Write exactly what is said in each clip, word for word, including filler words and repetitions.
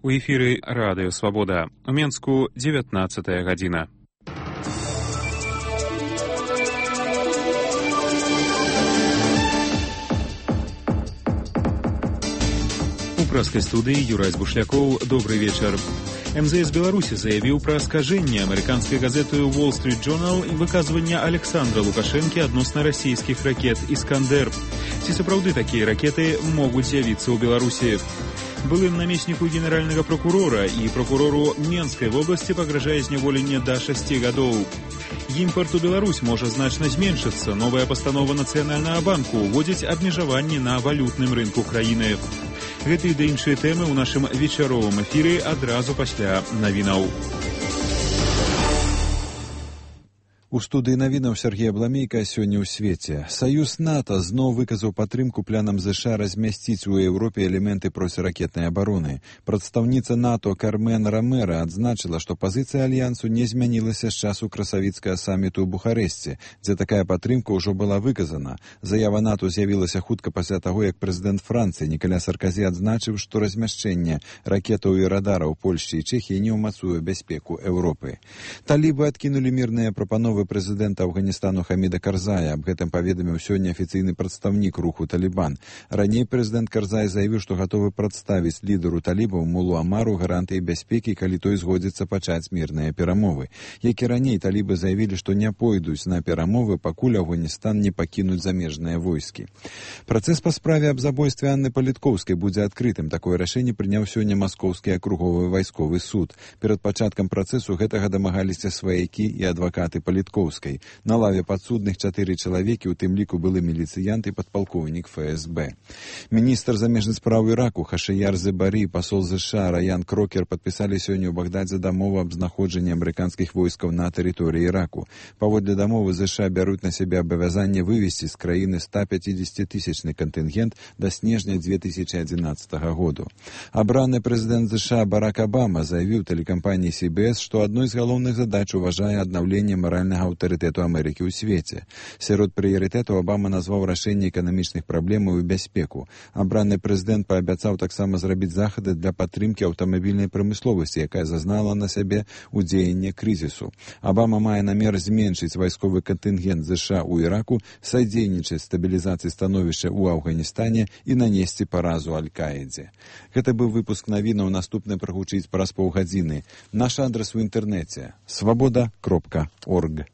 У эфіры Радыё Свабода. У Менску дзевятнаццатая гадзіна. У прэскай студыі Юрай Бушлякоў. Добрый вечар. эм зэ эс Беларусі заявіў пра скажэнне амерыканскай газеты Wall Street Journal і выказвання Александра Лукашэнкі адносна расійскіх ракет «Іскандер». Ці сапраўды такія ракеты могуць з'явіцца ў Беларусі? Былым намесніку генеральнага прокурора і прокурору Менскай вобласці пагражае зняволенне да шасці гадоў. Імпарт у Беларусь можа значна зменшыцца. Новая пастанова Нацыянальнага банку ўводзіць абмежаванні на валютным рынку краіны. Гэты ды іншыя тэмы ў нашым вечаровым эфіры адразу пасля навінаў. У студыі навінаў Сергей Абламейка. Сёння ў свеце. Саюз НАТО зноў выказаў падтрымку планам ЗША размясціць у Еўропе элементы проціракетнай абароны. Прадстаўніца НАТО Кармен Ромера адзначыла, што пазіцыя альянсу не змянілася з часу красавіцкага саміту ў Бухарэсце, дзе такая падтрымка ўжо была выказана. Заява НАТО з'явілася хутка пасля таго, як прэзідэнт Францыі Нікаля Сарказі адзначыў, што размяшчэнне ракетаў і радараў Польшчы і Чэхіі не ўмацуе бяспеку Еўропы. Талібы адкінулі мірныя прапановы прэзідэнта Афганістану Хаміда Карзая. Аб гэтым паведаміў сёння афіцыйны прадстаўнік руху «Талібан». Раней прэзідэнт Карзай заявіў, што гатовы прадставіць лідару талібаў Мулу Амару гарантыі бяспекі, калі той згодзіцца пачаць мірныя перамовы. Як і раней, талібы заявілі, што не пойдуць на перамовы, пакуль Афганістан не пакінуць замежныя войскі. Працэс па справе аб забойстве Анны Паліткоўскай будзе адкрытым. Такое рашэнне прыняў сёння Маскоўскі акруговы вайсковы суд. Перад пачаткам працэсу гэтага дамагаліся сваякі і адвакаты Паліткоўскай. На лаве падсудных чатыры чалавекі, у тым ліку былы міліцыянт і падпалкоўнік эф эс бэ. Міністр замежных спраў Іраку Хашыяр Зебарі, пасол ЗША Раян Крокер падпісалі сёння ў Багдадзе дамову аб знаходжанні амерыканскіх войскаў на тэрыторыі Іраку. Паводле дамовы ЗША бяруць на сябе абавязанне вывесці з краіны ста пяцідзесяцітысячны кантынгент да снежня дзве тысячы адзінаццатага году. Абраны прэзідэнт ЗША Барак Абама заявіў тэлекампаніі си би эс, што адной з галоўных задач уважае аднаўленне маральнага аўтарытэту Амерыкі ў свеце. Сярод прыярытэтаў Абама назваў рашэнне эканамічных праблемаў і бяспеку. Абраны прэзідэнт паабяцаў таксама зрабіць захады для падтрымкі аўтамабільнай прамысловасці, якая зазнала на сябе ўдзеянне крызісу. Абама мае намер зменшыць вайсковы кантынгент ЗША ў Іраку, садзейнічаць стабілізацыі становішча ў Афганістане і нанесці паразу Аль-Каідзе. Гэта быў выпуск навінаў, наступны прагучыць праз паўгадзіны. Наш адрас у інтэрнэце свабода кропка орг.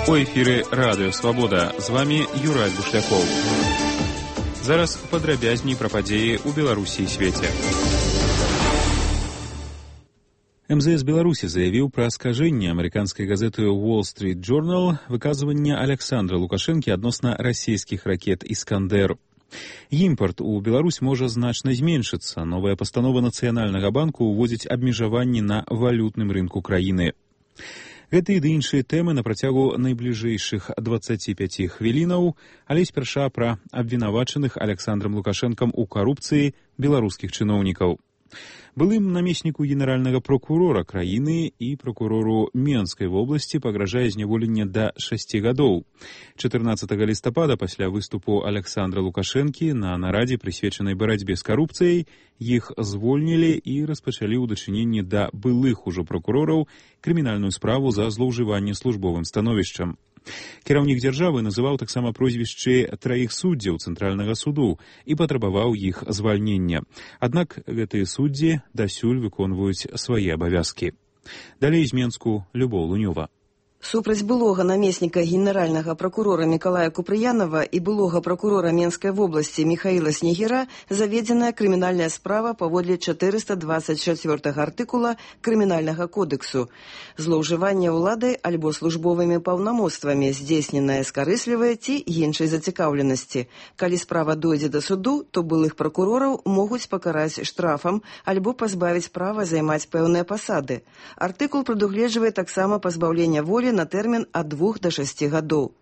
У эфіры Радыё Свабода. З вамі Юрай Бушлякоў. Зараз падрабязней пра падзеі ў Беларусі і свеце. эм зэ эс Беларусі заявіў пра скажэнне амерыканскай газеты Wall Street Journal выказвання Александра Лукашэнкі адносна расійскіх ракет «Іскандер». Імпарт у Беларусь можа значна зменшыцца. Новая пастанова Нацыянальнага банку ўводзіць абмежаванні на валютным рынку краіны. Гэты ды іншыя тэмы на працягу найбліжэйшых дваццаці пяці хвілінаў, але спярша пра абвінавачаных Александрам Лукашэнкам у карупцыі беларускіх чыноўнікаў. Былым намесніку генеральнага прокурора краіны і прокурору Менскай вобласці пагражае зняволенне да шасці гадоў. чатырнаццатага лістапада пасля выступу Александра Лукашэнкі на нарадзе, прысвечанай барацьбе з карупцыяй, іх звольнілі і распачалі ў дачыненні да былых ужо прокурораў крымінальную справу за злоўжыванне службовым становішчам. Кіраўнік дзяржавы называў таксама прозвішчы траіх суддзяў Цэнтральнага суду і патрабаваў іх звальнення. Аднак гэтыя суддзі дасюль выконваюць свае абавязкі. Далей з Менску Любоў Лунёва. Супраць былога намесніка генеральнага прокурора Мікалая Купрыянова і былога прокурора Менскай вобласці Михаіла Снегіра заведзеная крымінальная справа паводле чатырыста дваццаць чацвёртага артыкула Крымінальнага кодексу. Злоўжыванне ўладай альбо службовымі паўнамоцтвамі, здзейсненае з карыслівай ці іншай зацікаўленасці. Калі справа дойдзе да суду, то былых прокурораў могуць пакараць штрафам альбо пазбавіць права займаць пэўныя пасады. Артыкул прадугледжвае таксама пазбаўлення волі на тэрмін ад двух да шасці гадоў.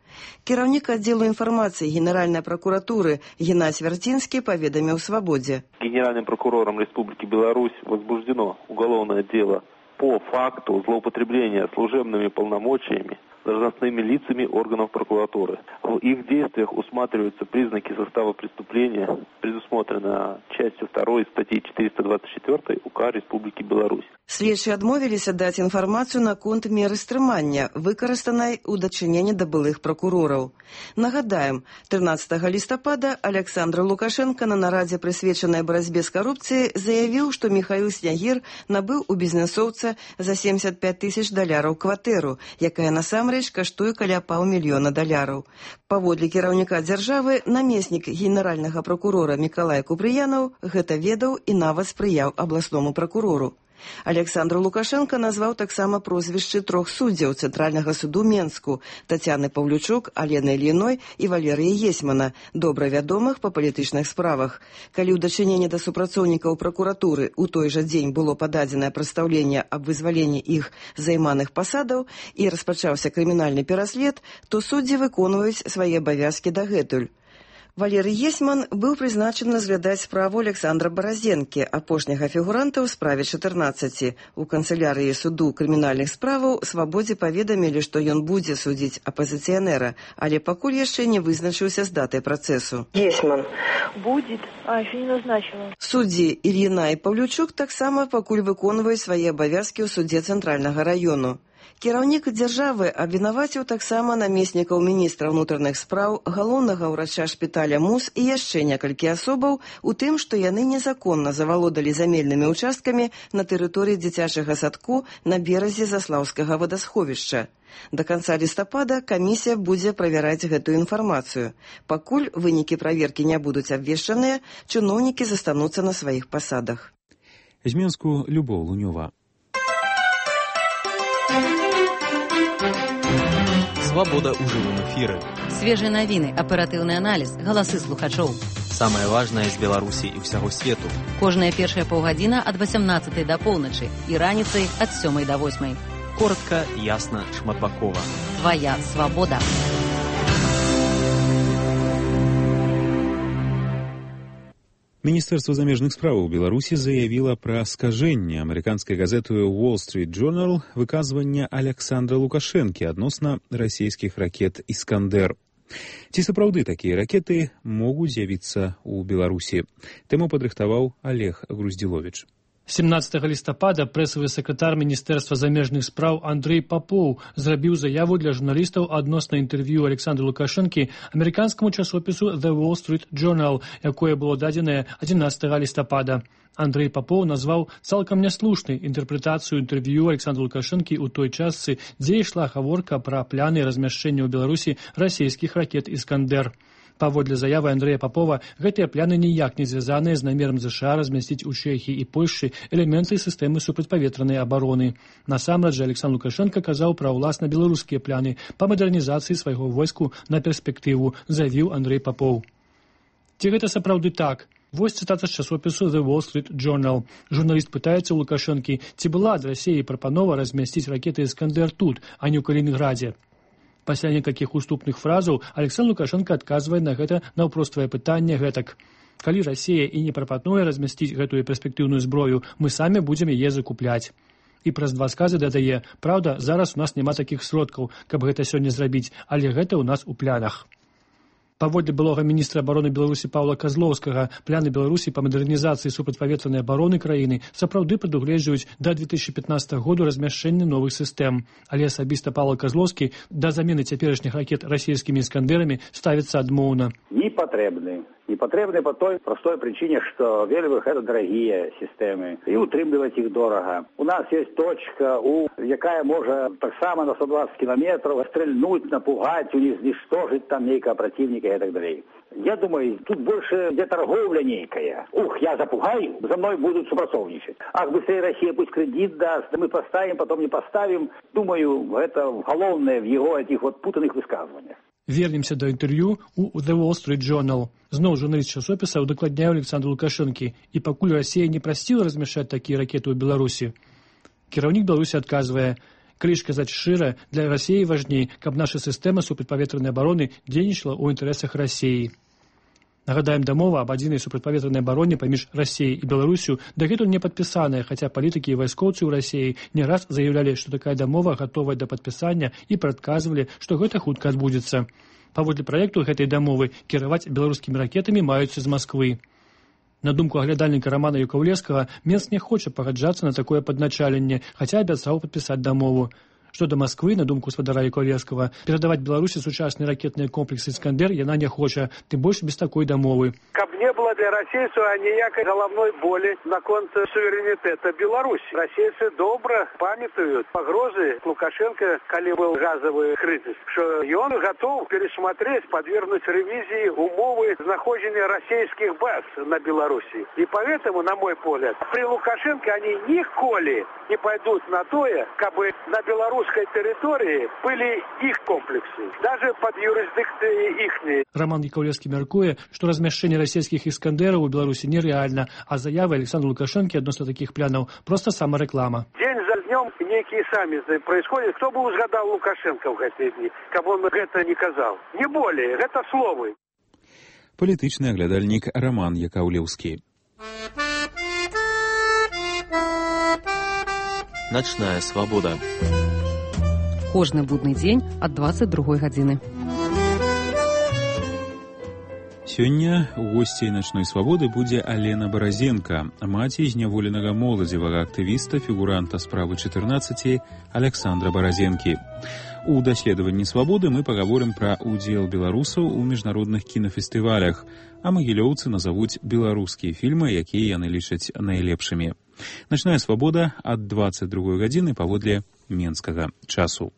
Кіраўнік аддзелу інфармацыі Генеральнай прокуратуры Геннадзь Вярцінскі паведаміў «Свободе». Генеральным прокурором Республики Беларусь возбуждено уголовное дело по факту злоупотребления служебными полномочиями должностными лицами органов прокуратуры. В их действиях усматриваются признаки состава преступления, предусмотрено частью второй статьи четыреста двадцать четыре УК Республики Беларусь. Следчыя адмовіліся даць інфармацыю наконт меры стрымання, выкарыстанай у дачыненні да былых пракурораў. Нагадаем, трынаццатага лістапада Александр Лукашенко на нарадзе, прысвечанай барацьбе з карупцыяй, заявіў, што Михаил Снягир набыў у бізнесоўца за семьдесят пять тысяч даляраў кватэру, якая насамрэч каштуе каля паўмільёна даляраў. Паводле кіраўніка дзяржавы, намеснік генеральнага пракурора Мікалай Купрыянаў гэта ведаў і нават спрыяў абласному пракурору. Александр Лукашенко назваў таксама прозвішчы трох суддзяў Цэнтральнага суду Менску – Тацяны Паўлючук, Алены Ільіной і Валерыя Есьмана, добра вядомых па палітычных справах. Калі ў дачыненні да супрацоўнікаў пракуратуры ў той жа дзень было пададзенае прадстаўленне аб вызваленні іх займаных пасадаў і распачаўся крымінальны пераслед, то суддзі выконваюць свае абавязкі дагэтуль. Валерый Есьман быў прызначаны разглядаць справу Александра Баразенкі, апошняга фігуранта ў справе чатырнаццаці. У канцылярыі суду крымінальных справаў Свабодзе паведамілі, што ён будзе судзіць апазіцыянера, але пакуль яшчэ не вызначыўся з датай працэсу. Есьман. Будет. А, еще не назначила. Суддзі Ільіна і Паўлючук таксама пакуль выконваюць свае абавязкі ў судзе Цэнтральнага раёну. Кіраўнік дзяржавы абвінаваціў таксама намеснікаў міністра ўнутраных спраў, галоўнага ўрача шпіталя МУС і яшчэ некалькі асобаў у тым, што яны незаконна завалодалі замельнымі ўчасткамі на тэрыторыі дзіцячага садку на беразе Заслаўскага вадасховішча. Да канца лістапада камісія будзе правяраць гэтую інфармацыю. Пакуль вынікі праверкі не будуць абвешчаныя, чыноўнікі застануцца на сваіх пасадах. З Менску Любоў Лунёва. Свабода ў жывым эфіры. Свежыя навіны, аператыўны аналіз, галасы слухачоў. Самае важнае з Беларусі і ўсяго свету. Кожная першая паўгадзіна ад васямнаццатай да поўначы і раніцай ад сёмай да восьмай. Коротка, ясна, шматбакова. Твая свабода. Міністэрства замежных справаў Беларусі заявіла пра скажэнне амерыканскай газеты Wall Street Journal выказвання Александра Лукашэнкі адносна расійскіх ракет «Іскандэр». Ці сапраўды такія ракеты могуць з'явіцца ў Беларусі? Тэму падрыхтаваў Олег Груздзіловіч. семнадцатага лістапада прэсавы сакратар Міністэрства замежных спраў Андрэй Папоў зрабіў заяву для журналістаў адносна інтэрв'ю Александра Лукашэнкі амерыканскаму часопісу The Wall Street Journal, якое было дадзенае адзінаццатага лістапада. Андрэй Папоў назваў цалкам няслушнай інтэрпрэтацыю інтэрв'ю Александра Лукашэнкі ў той частцы, дзе ішла гаворка пра пляны размяшчэння ў Беларусі расійскіх ракет «Іскандэр». Паводле заявы Андрэя Папова, гэтыя пляны ніяк не звязаныя з намерам ЗША размясціць у Чэхіі і Польшчы элементы сістэмы супрацьпаветранай абароны. Насамрэч жа Александр Лукашенко казаў пра ўласна беларускія пляны па мадэрнізацыі свайго войску на перспектыву, заявіў Андрэй Папоў. Ці гэта сапраўды так? Вось цытата з часопісу The Wall Street Journal. Журналіст пытаецца ў Лукашэнкі, ці была ад Расіі прапанова размясціць ракеты «Іскандэр» тут, а не ў Калінінградзе. Пасля некалькіх уступных фразаў Александр Лукашенко адказвае на гэта наўпроставае пытанне гэтак. Калі Расія і не прапануе размясціць гэтую перспектыўную зброю, мы самі будзем яе закупляць. І праз два сказы дадае, праўда, зараз у нас няма такіх сродкаў, каб гэта сёння зрабіць, але гэта ў нас у планах. Паводле былога міністра абароны Беларусі Паўла Казлоўскага, пляны Беларусі па мадэрнізацыі супрацьпаветранай абароны краіны сапраўды прадугледжваюць да две тысячи пятнадцатага году размяшчэнне новых сістэм. Але асабіста Паўла Казлоўскі да замены цяперашніх ракет расійскімі «Іскандэрамі» ставіцца адмоўна. Не патрэбны. Не патрэбны по той простой причине, что вельмі гэта дарагія сістэмы і утрымліваць іх дорага. У нас есть точка, у, якая можа таксама на сто двадцать километров стрельнуть, напугать, уничтожить там нейкого противника и так далее. Я думаю, тут больше где торговля некая. Ух, я запугаю, за мной будут супрацоўнічаць. Ах, быстрее Россия пусть кредит даст, мы поставим, потом не поставим. Думаю, это головное в его этих вот путанных высказываниях. Вернемся да інтэрв'ю у The Wall Street Journal. Зноў журналіст часопіса удакладняе Александру Лукашэнкі. І пакуль Расія не прасціла размяшчаць такія ракеты ў Беларусі, кіраўнік Беларусі адказвае, калі ж казаць шчыра, для Расіі важней, каб наша сістэма супрацьпаветранай абароны дзейнічала ў інтарэсах Расіі. Нагадаем, дамова аб адзінай супрацьпаветранай абароне паміж Расіяй і Беларусю дагэтуль не падпісаная, хаця палітыкі і вайскоўцы ў Расіі не раз заяўлялі, што такая дамова гатовая да падпісання і прадказвалі, што гэта хутка адбудзецца. Паводле праекту гэтай дамовы кіраваць беларускімі ракетамі маюцца з Масквы. На думку аглядальніка Рамана Якаўлеўскага, Менск не хоча пагаджацца на такое падначаленне, хаця абяцаў падпісаць дамову. Што да Масквы, на думку спадара Якаўлеўскага, перадаваць Беларусі сучасныя ракетныя комплексы «Іскандер» яна не хоча, тым больш без такой дамовы. Каб не было для расейцаў аніякай галаўной болі наконт суверэнітэта Беларусі. Расейцы добра памятаюць пагрозы Лукашенко, калі быў газавы крызіс, што ён гатоў пересмотреть, подвергнуть ревизии умовы знаходження расійскіх баз на Беларусі. И поэтому, на мой погляд, при Лукашенко они ніколі не пойдут на тое, кабы на Беларусі территории были их комплексы, даже под юрисдикцией ихней. Роман Якаўлеўскі мяркуе, што размяшчэнне расійскіх іскандераў у Беларусі нереальна, а заявы Александра Лукашенко адносна такіх планаў проста самарэклама. День за днем некие саммиты происходят. Кто бы узгадал Лукашенко в эти дни, каб он гэта не казал? Не более, гэта словы. Палітычны аглядальнік Роман Якаўлеўскі. Ночная свабода. Кожны будны дзень ад дваццаць другой гадзіны. Сёння у госцей начной свабоды будзе Алена Баразенко, маці зняволенага моладзевага актывіста, фігуранта справы чатырнаццаці Александра Баразенкі. У даследаванні свабоды мы пагаворым пра удзел беларусаў у міжнародных кінафестывалях, а магілёўцы назавуць беларускія фільмы, якія яны лічаць найлепшымі. Начная свабода ад дваццаць другой гадзіны паводле менскага часу.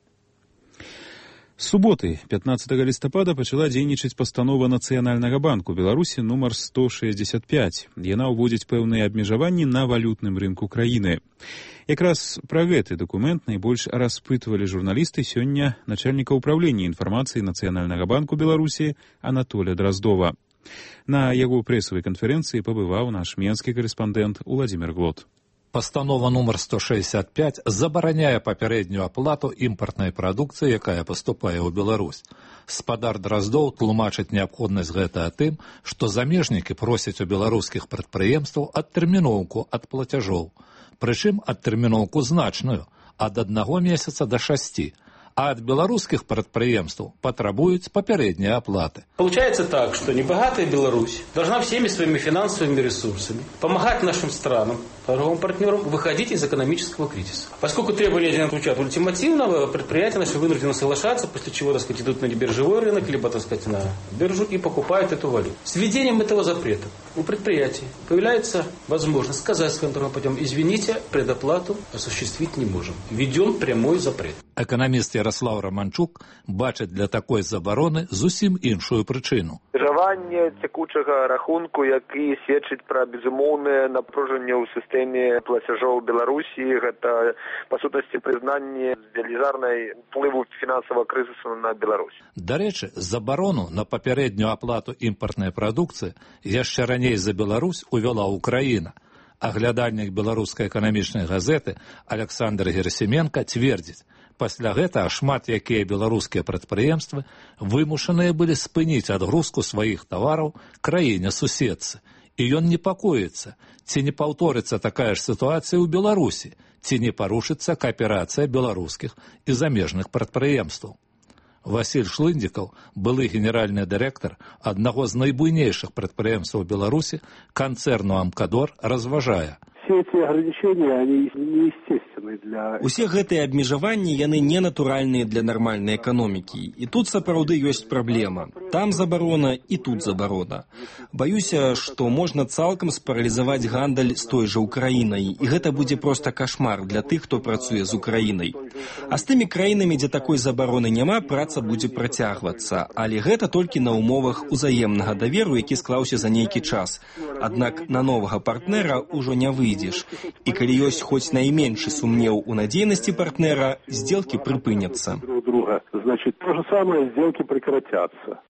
З суботы, пятнаццатага лістапада, пачала дзейнічаць пастанова Нацыянальнага банку Беларусі нумар сто шэсцьдзесят пяць. Яна ўводзіць пэўныя абмежаванні на валютным рынку краіны. Якраз пра гэты дакумент найбольш распытвалі журналісты сёння начальніка ўпраўлення інфармацыі Нацыянальнага банку Беларусі Анатоля Драздова. На яго прэсавай канферэнцыі пабываў наш менскі карэспандэнт Уладзімір Глот. Пастанова нумар сто шэсцьдесят пять забараняе папярэднюю аплату імпартнай прадукцыі, якая паступае ў Беларусь. Спадар Драздоў тлумачыць неабходнасць гэта тым, што замежнікі просяць у беларускіх прадпрыемстваў адтэрміноўку ад плацяжоў. Прычым адтэрміноўку значную, ад аднаго месяца да шасці. А от белорусских предприемств потребуют попередние оплаты. Получается так, что небогатая Беларусь должна всеми своими финансовыми ресурсами помогать нашим странам, торговым партнерам выходить из экономического кризиса. Поскольку требования звучат ультимативного, предприятия наши вынуждены соглашаться, после чего, так сказать, идут на небиржевой рынок, либо, так сказать, на биржу и покупают эту валюту. С введением этого запрета у предприятий появляется возможность сказать своим торговым партнерам: извините, предоплату осуществить не можем. Введен прямой запрет. Экономист Ярослав Романчук бачыць для такой забароны зусім іншую прычыну. Жаванне цякучага рахунку, які сведчыць пра безумоўнае напружанне ў сістэме плацяжоў Беларусі, гэта па сутнасці прызнанне велізарнай уплыву фінансавага крызісу на Беларусь. Дарэчы, забарону на папярэднюю аплату імпартнай прадукцыі яшчэ раней за Беларусь увяла Украіна. Аглядальнік беларускай эканамічнай газеты Александр Герасименко цвердзіць: пасля гэтага шмат якія беларускія прадпрыемствы вымушаныя былі спыніць адгрузку сваіх тавараў краіне-суседцы. І ён непакоіцца, ці не паўторыцца такая ж сітуацыя ў Беларусі, ці не парушыцца кааперацыя беларускіх і замежных прадпрыемстваў. Васіль Шлындзікаў, былы генеральны дырэктар аднаго з найбуйнейшых прадпрыемстваў Беларусі, канцэрну «Амкадор», разважае: все эти ограничения, они неестественны для... Усе гэтыя абмежаванні, яны ненатуральныя для нармальнай эканомікі. І тут сапраўды ёсць праблема. Там забарона і тут забарона. Баюся, што можна цалкам спаралізаваць гандаль з той жа Украінай. І гэта будзе проста кашмар для тых, хто працуе з Украінай. А з тымі краінамі, дзе такой забароны няма, праца будзе працягвацца. Але гэта толькі на умовах узаемнага даверу, які склаўся за нейкі час. Аднак на новага партнера ўжо не выйдзе. І калі ёсць хоць найменшы сумнеў у надзейнасці партнера, сделки прыпыняцца. Значит, то же самое, сделки прекратятся.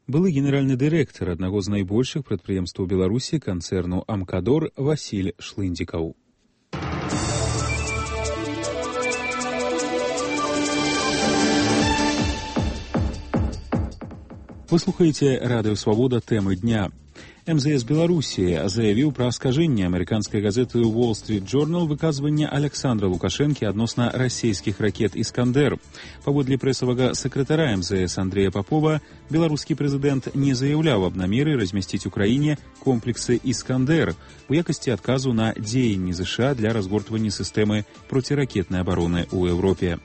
Былы генеральны дырэктар аднаго з найбольшых прадпрыемстваў Беларусі канцэрну «Амкадор» Васіль Шлындзікаў. Вы слухаеце радыё Свабода, тэмы дня. эм зэ эс Беларусі заявіў пра аскажэнне амерыканскай газеты Wall Street Journal выказвання Александра Лукашэнкі адносна расійскіх ракет «Іскандер». Паводле прэсавага сакратара эм зэ эс Андрэя Папова, беларускі прэзідэнт не заяўляў аб намеры размясціць у краіне комплексы «Іскандер» у якасці адказу на дзеянні ЗША для разгортвання сістэмы проціракетнай абароны ў Еўропе.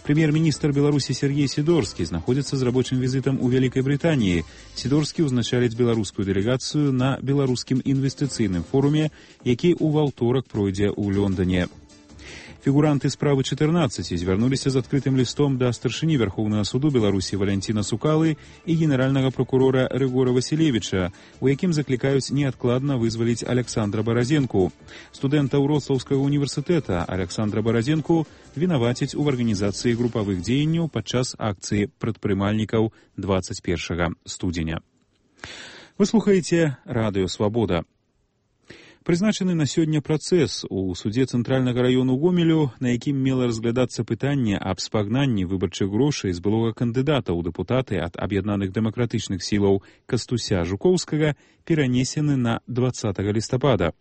Прэм'ер-міністр Беларусі Сергей Сидорскі знаходзіцца з рабочым візітам у Вялікай Брытаніі. Сидорскі ўзначаліць беларускую дэлегацыю на беларускім інвестыцыйным форуме, які ў ваўторак пройдзе ў Лондоне. Фігуранты справы чатырнаццаць звярнуліся з адкрытым лістом да старшыні Вярхоўнага суду Беларусі Валянціна Сукалы і генеральнага прокурора Рыгора Васілевіча, у якім заклікаюць неадкладна вызваліць Александра Баразенку. Студэнта Вроцлаўскага універсітэта Александра Баразенку вінавацяць у арганізацыі групавых дзеянняў падчас акцыі прадпрымальнікаў двадцать першага студзеня. Вы слухаеце радыё Свабода. Прызначаны на сёння працэс у судзе цэнтральнага раёну Гомелю, на якім мела разглядацца пытанне аб спагнанні выбарчых грошай з былога кандыдата ў дэпутаты ад аб'яднаных дэмакратычных сілаў Кастуся Жукоўскага, перанесены на двадцатага лістапада.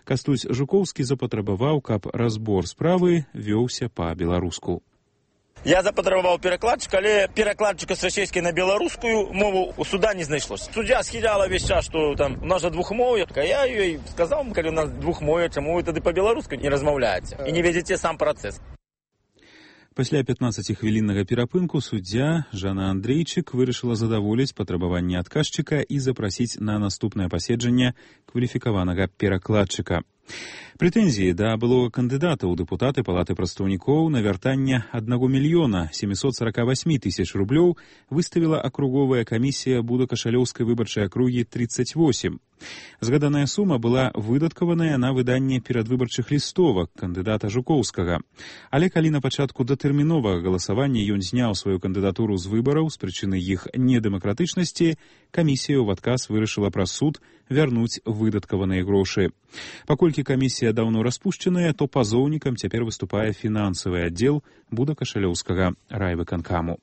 Кастусь Жукоўскі запатрабаваў, каб разбор справы вёўся па-беларуску. Я запатрабаваў перакладчыка, але перакладчыка з расійскай на беларускую мову у суда не знайшлося. Суддзя схіляла весь час, што там у нас жа двухмоўе. Я ёй сказаў, калі у нас двухмоўе, чаму вы тады па-беларуску не размаўляеце і не вядзеце сам працэс. Пасля пятнаццацігвіліннага перапынку суддзя Жанна Андрейчык вырашыла задаволіць патрабаванні адказчыка і запрасіць на наступнае паседжанне кваліфікаванага перакладчыка. Прэтэнзіі да былога кандыдата ў дэпутаты Палаты прадстаўнікоў на вяртанне аднаго мільёна сямсот сорок восемь тысяч рублёў выставіла акруговая камісія Будакашалёўскай выбарчай акругі тридцать восемь. Згаданая сума была выдаткаваная на выданне перадвыбарчых лістовак кандыдата Жукоўскага. Але калі на пачатку датэрміновага галасавання ён зняў сваю кандыдатуру з выбараў з прычыны іх недэмакратычнасці, камісія ў адказ вырашыла праз суд вярнуць выдаткаваныя грошы. Паколькі камісія даўно распушчаная, то пазоўнікам цяпер выступае фінансавы аддзел Будакашалёўскага райвыканкаму.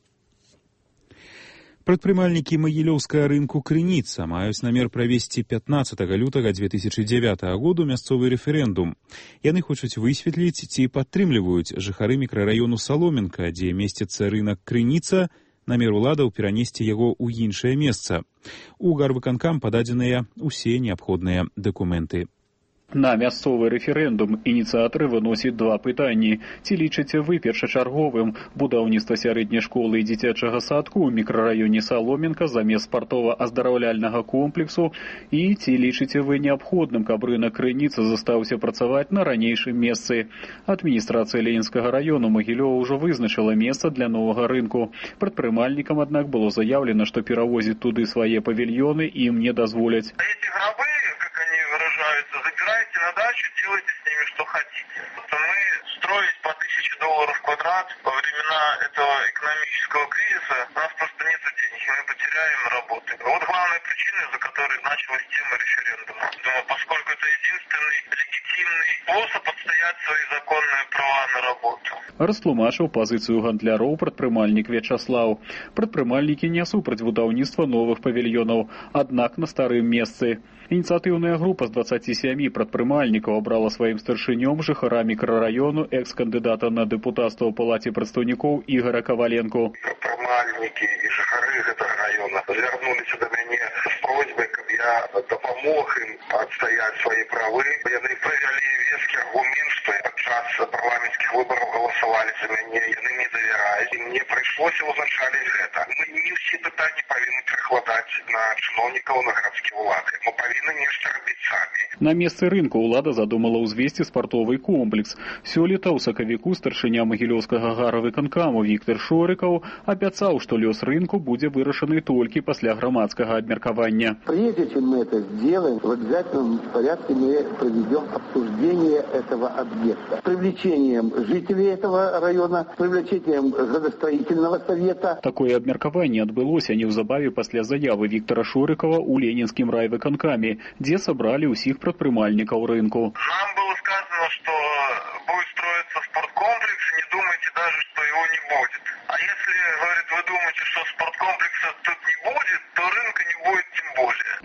Прадпрымальнікі магілёўскага рынку Крыніца маюць намер правесці пятнаццатага лютага две тысячи дзевятага году мясцовы рэферэндум. Яны хочуць высветліць, ці падтрымліваюць жыхары мікрараёну Саломенка, дзе месціцца рынак Крыніца, намер уладаў перанесці яго ў іншае месца. У гарвыканкам пададзеныя ўсе неабходныя дакументы. На мясцовы рэферэндум ініцыятары выносяць два пытанні. Ці лічыце вы першачарговым будаўніцтва сярэдняй школы і дзіцячага садку ў мікрараёне Саломенка замест спартова-аздараўляльнага комплексу? І ці лічыце вы неабходным, каб рынак Крыніца застаўся працаваць на ранейшым месцы? Адміністрацыя Ленінскага раёну Магілёва ўжо вызначыла месца для новага рынку. Прадпрымальнікам, аднак, было заяўлена, што перавозіць туды свае павільёны ім не дазволяць. Забирайте на дачу, делайте с ними что хотите. Мы строить по тысяче долларов в квадрат во времена этого экономического кризиса, у нас просто нет денег, мы потеряем работу. Вот главная причина, из-за которой началась тема референдума. Думаю, поскольку это единственный легитимный способ отстоять свои законные права на работу. Растлумачыў пазіцыю гандляроў прадпрымальнік Вячаслаў. Прадпрымальнікі не супраць будаўніцтва новых павільёнаў, аднак на старым месцы. Ініцыятыўная група з дваццаці сямі прадпрымальнікаў абрала сваім старшынём жыхара мікрараёну экс-кандыдата на дэпутацтва ў Палаце прадстаўнікоў Ігора Каваленко. Прадпрымальнікі і жыхары гэтага раёна звярнуліся да мяне з просьбай, каб я дапамог ім адстаяць свае правы. Яны правялі вескі аргумент, што падчас парламенцкіх выбараў галасавалі за мяне, яны мне давяраюць, і мне прыйшлося ўзначаліць гэта. Мы не ўсе пытанні павінны перакладаць на чыноўнікаў, на гарадскія ўлады. Мы павінны нешта рабіць самі. На месцы рынку ўлада задумала ўзвесці спартовы комплекс. Сёлета ў сакавіку старшыня магілёўскага гарвыканкаму Віктор Шорыкаў абяцаў, што лёс рынку будзе вырашаны толькі пасля грамадскага абмеркавання. Прежде чем мы это сделаем, в обязательном порядке мы проведем обсуждение этого объекта. С привлечением жителей этого района, с привлечением градостроительного совета. Такое абмеркаванне адбылося неўзабаве пасля заявы Віктора Шорыкава ў Ленінскім райвыканкаме, дзе сабралі ўсіх прадпрымальнікаў рынку. Нам было сказано, что будет строиться спорткомплекс, не думайте даже, что его не будет. А если, говорит, вы думаете, что спорткомплекса тут не будет,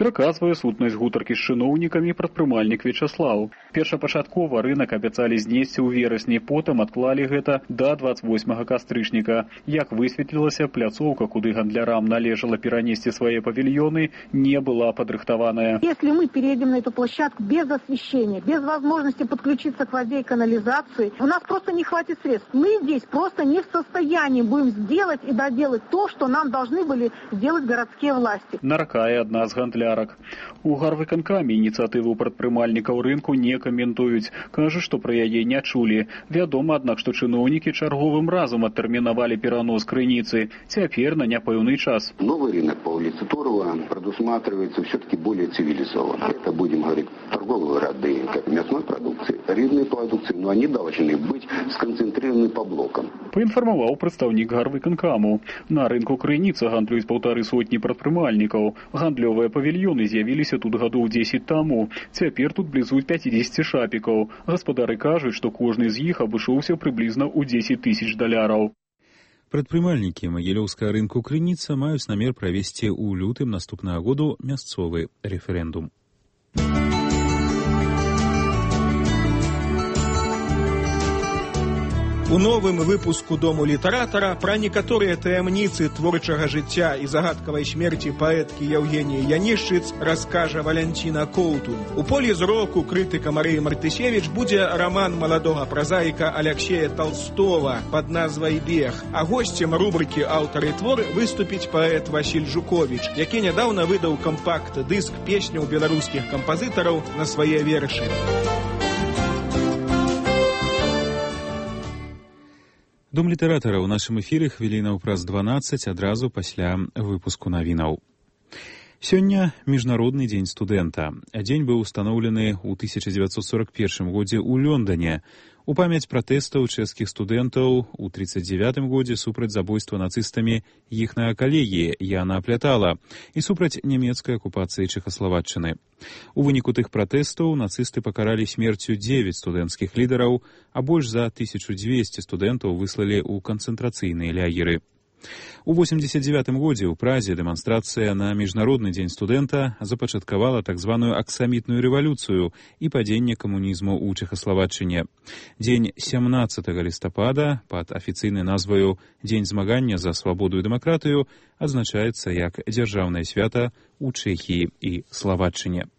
Выказвае сутнасць гутаркі з чыноўнікамі прадпрымальнік Вячаслаў. Першапачаткова рынак абяцалі знесці ў верасні, потым адклалі гэта да двадцать восьмага кастрычніка. Як высветлілася, пляцоўка, куды гандлярам належала перанесці свае павільёны, не была падрыхтаваная. Если мы переедем на эту площадку без освещения, без возможности подключиться к воде и канализации, у нас просто не хватит средств. Мы здесь просто не в состоянии будем сделать и доделать то, что нам должны были сделать городские власти. Наркае адна з гандлярак. У гарвыканкамі ініцыятыву прадпрымальнікаў рынку не каментуюць. Кажа, што пра яе не чулі. Вядома, аднак, што чыноўнікі чарговым разам адтэрмінавалі перанос крыніцы. Цяпер на няпэўны час. Новый рынок по улице Турова предусматривается все-таки более цивилизованно. Это, будем говорить, торговые ряды, как мясной продукции, рыбной продукции, но они должны быть сконцентрированы по блокам. Паінфармаваў прадстаўнік гарвыканкаму. На рынку крыніца гандлююць паўтары сотні прадпрымальнікаў. Гандлёвыя павільёны з'явіліся тут гадоў дзесяць таму. Цяпер тут блізу пяцьдзесят шапікаў. Гаспадары кажуць, што кожны з іх абышоўся прыблізна ў дзесяць тысяч даляраў. Прадпрымальнікі магілёўскага рынку крыніца маюць намер правесці ў лютым наступнага году мясцовы рэферэндум. У новым выпуску «Дому літаратара» пра некаторыя таямніцы творчага жыцця і загадкавай смерці паэткі Яўгеніі Янішчыц раскажа Валянціна Коўтунь. У полі зроку крытыка Марыі Мартысевіч будзе раман маладога празаіка Аляксея Талстова пад назвай «Бег», а госцем рубрыкі «Аўтар і твор» выступіць паэт Васіль Жуковіч, які нядаўна выдаў кампакт-дыск песняў беларускіх кампазітараў на свае вершы. Дом літаратара ў нашым эфіры хвілінаў праз дванаццаць адразу пасля выпуску навінаў. Сёння міжнародны дзень студэнта. Дзень быў устаноўлены ў тысяча дзевяцьсот сорок першым годзе ў Лондане. У памяць пратэстаў чэшскіх студэнтаў у тридцать девятым годзе супраць забойства нацыстамі іхнага калегі Яна Аплятала і супраць нямецкай акупацыі Чэхаславаччыны. У выніку тых пратэстаў нацысты пакаралі смерцю дзевяць студэнцкіх лідараў, а больш за тысячу дзвесце студэнтаў выслалі ў канцэнтрацыйныя лагеры. У восемьдесят девятым годзе ў Празе дэманстрацыя на міжнародны дзень студэнта запачаткавала так званую аксамітную рэвалюцыю і падзенне камунізму ў Чэхаславаччыне. Дзень сямнаццатага лістапада пад афіцыйнай назваю «Дзень змагання за свабоду і дэмакратыю» адзначаецца як дзяржаўнае свята ў Чэхіі і Славаччыне.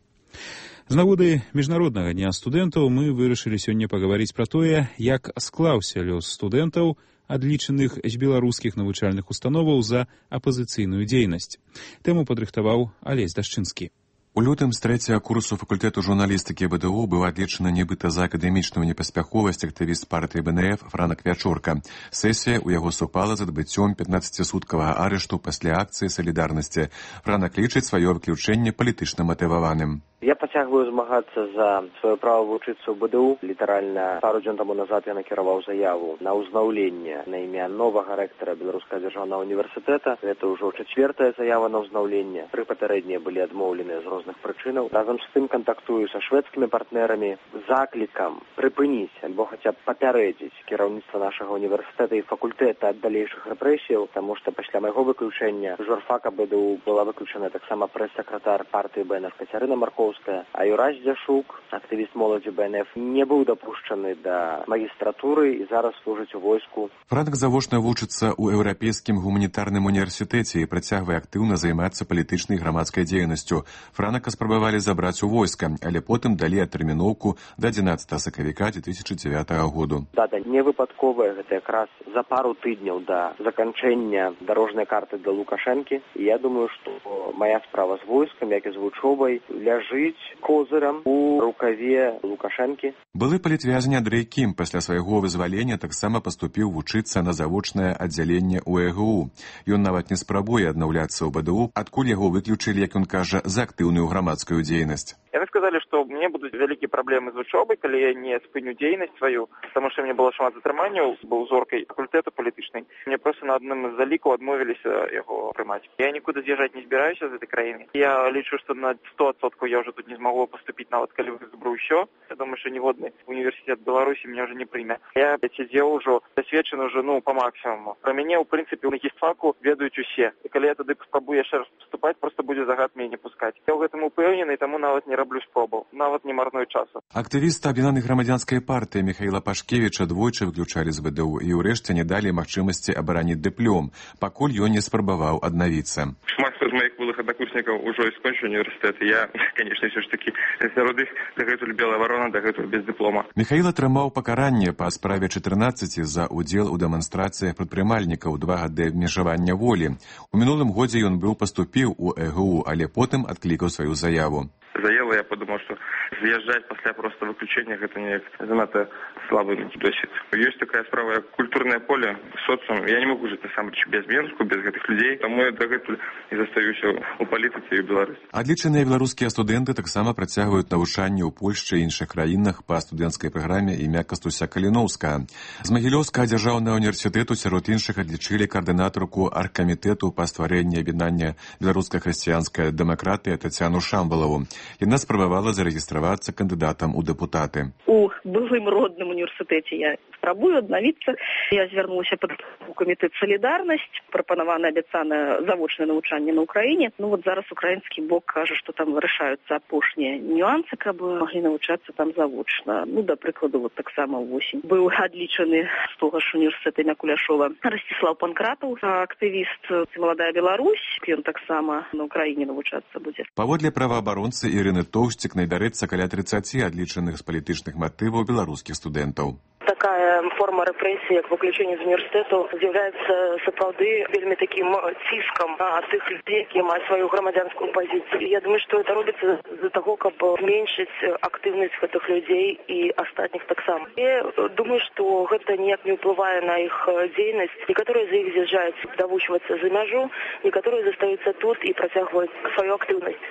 З нагоды міжнароднага дня студэнтаў мы вырашылі сёння пагаварыць пра тое, як склаўся лёс студэнтаў, адлічаных з беларускіх навучальных установаў за апазіцыйную дзейнасць. Тэму падрыхтаваў Алесь Дашчынскі. У лютым з трэцяга курсу факультэту журналістыкі БДУ быў адлічаны нібыта за акадэмічную непаспяховасць актывіст партыі БНФ Франак Вячорка. Сесія ў яго супала з адбыццём пятнаццацісуткавага арышту пасля акцыі салідарнасці. Франак лічыць сваё выключэнне палітычна матываваным. Я працягваю змагацца за сваё права вучыцца ў БДУ. Літаральна пару дзён таму назад я накіраваў заяву на ўзнаўленне на імя новага рэктара Беларускага дзяржаўнага універсітэта. Гэта ўжо чацвёртая заява на ўзнаўленне. Тры папярэднія былі адмоўленыя з розных прычынаў. Разам з тым кантактую са шведскімі партнерамі заклікам прыпыніць альбо хаця б папярэдзіць кіраўніцтва нашага універсітэта і факультэта ад далейшых рэпрэсіяў, таму што пасля майго выключэння з журфака БДУ была выключана таксама прэс-сакратар партыі БНФ Кацярына Маркоўская, а Юрась Дзяшук, актывіст моладзі БНФ, не быў дапушчаны да магістратуры і зараз служыць у войску. Франак завочна вучыцца ў еўрапейскім гуманітарным універсітэце і працягвае актыўна займацца палітычнай і грамадскай дзейнасцю. Франака спрабавалі забраць у войска, але потым далі адтэрміноўку да адзінаццатага сакавіка две тысячи дзевятага году. Дата не выпадковая, гэта якраз за пару тыдняў да заканчэння дарожнай карты для Лукашэнкі. І я думаю, што моя справа з войскам, як і з вучобай, ляжыць козырам у рукаве Лукашэнкі. Былы палітвязень Андрэй Кім пасля свайго вызвалення таксама паступіў вучыцца на завочнае аддзяленне ў ЭГУ. Ён нават не спрабуе аднаўляцца ў БДУ, адкуль яго выключылі, як ён кажа, за актыўную грамадскую дзейнасць. Яны сказалі, што мне будуць вялікія праблемы з вучобай, калі я не спыню дзейнасць сваю, таму што мне было шмат затрыманняў, быў зоркай факультэту палітычнай. Мне проста на адным з залікаў адмовіліся яго прымаць. Я нікуды з'язджаць не збіраюся з гэтай краіны. Я лічу, што на сто адсоткаў я ўжо тут не змагу паступіць, нават калі выберу ўсё. Я думаю, што ніводны універсітэт Беларусі мне ўжо не прыме. Я сидзеў ужо, дасведчаны ўжо, ну, па максімуму. Пра мяне, ў прынцыпе, на гістфаку ведаюць усе. І калі я тады спрабую яшчэ раз паступаць, проста будзе загад мяне не пускаць. Я ў гэтым упэўнены, таму нават не раблю спробаў, нават не марную часу. Актывісты аб'яднанай грамадзянскай партыі Міхаіла Пашкевіча двойчы выключалі з ВДУ і ўрэшце не далі магчымасці абараніць дыплом, пакуль ён не спрабаваў аднавіцца. Шмат хто з маіх былых аднакурснікаў ужо і скончыў універсітэт. Я, канечне, ўсё ж такі сярод іх дагэтуль белая варона, дагэтуль без дыплома. Міхаіл атрымаў пакаранне па справе чатырнаццаці за ўдзел у дэманстрацыях прадпрымальнікаў, два гады абмежавання волі. У мінулым годзе ён быў паступіў у ЭГУ, але потым адклікаў сваю заяву. Заяву я подумал, что з'язджаць пасля просто выключения гэта неяк занадта слабы досвід. Ёсць такая справа, як культурнае поле, социум. Я не могу жыць насамрэч без Менску, без гэтых людзей, таму я дагэтуль і застаюся у палітыцы і ў Беларусі. Адлічаныя беларускія студэнты таксама працягваюць навучанне ў Польшчы і іншых краінах па студэнцкай праграме імя Кастуся Каліноўскага. З Магілёўскага дзяржаўнага універсітэту сярод іншых адлічылі каардынатарку аргкамітэту па стварэнні аб'яднання беларуска-хрысціянская дэмакратыя Тацяну Шамбалаву. Яна спрабавала зарэгістравацца кандыдатам у дэпутаты. У былым родным універсітэце я спрабую аднавіцца. Я звярнулася пад камітэт «Салідарнасць», прапанавана абяцана завочнае навучанне на Украіне. Ну вот зараз украінскі бок кажа, што там вырашаюцца апошнія нюансы, каб маглі навучацца там завочна. Ну, да прыкладу, вот таксама ўвосень быў адлічаны з того ж універсітэта імя Куляшова Расціслаў Панкратаў, актывіст «Маладая Беларусь». Ён таксама на Украіне навучацца будзе. Паводле праваабаронцы Ірыны Тоўсцік найдарэцца каля трыццаці адлічаных з палітычных матываў беларускіх студэнтаў. Такая форма рэпрэсіі, як выключэнне з універсітэту, з'яўляецца сапраўды вельмі такім ціскам на тых людзей, якія маюць сваю грамадзянскую пазіцыю. Я думаю, што гэта робіцца з-за таго, каб зменшыць актыўнасць гэтых людзей і астатніх таксама. Я думаю, што гэта ніяк не ўплывае на іх дзейнасць. Некаторыя з іх з'язджаюць давучвацца за мяжу, некаторыя застаюцца тут і працягваюць сваю актыўнасць.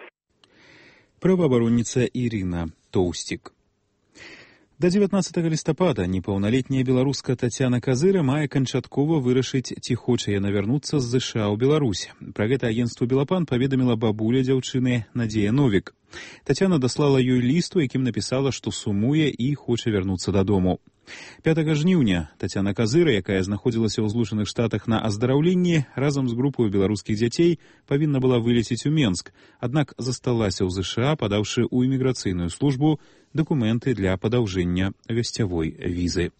Праваабаронніца Ірына Тоўсцік. Да дзевятнаццатага лістапада непаўналетняя беларуска Тацяна Казыра мае канчаткова вырашыць, ці хоча яна вярнуцца з ЗША ў Беларусь. Пра гэта агенцтву «Белапан» паведаміла бабуля дзяўчыны Надзея Новік. Тацяна даслала ёй ліст, у якім напісала, што сумуе і хоча вярнуцца дадому. пятага жніўня Тацяна Казыра, якая знаходзілася ў Злучаных Штатах на аздараўленні, разам з групаю беларускіх дзяцей павінна была вылецець у Менск, аднак засталася ў ЗША, падаўшы ў іміграцыйную службу дакументы для падаўжэння гасцявой візы.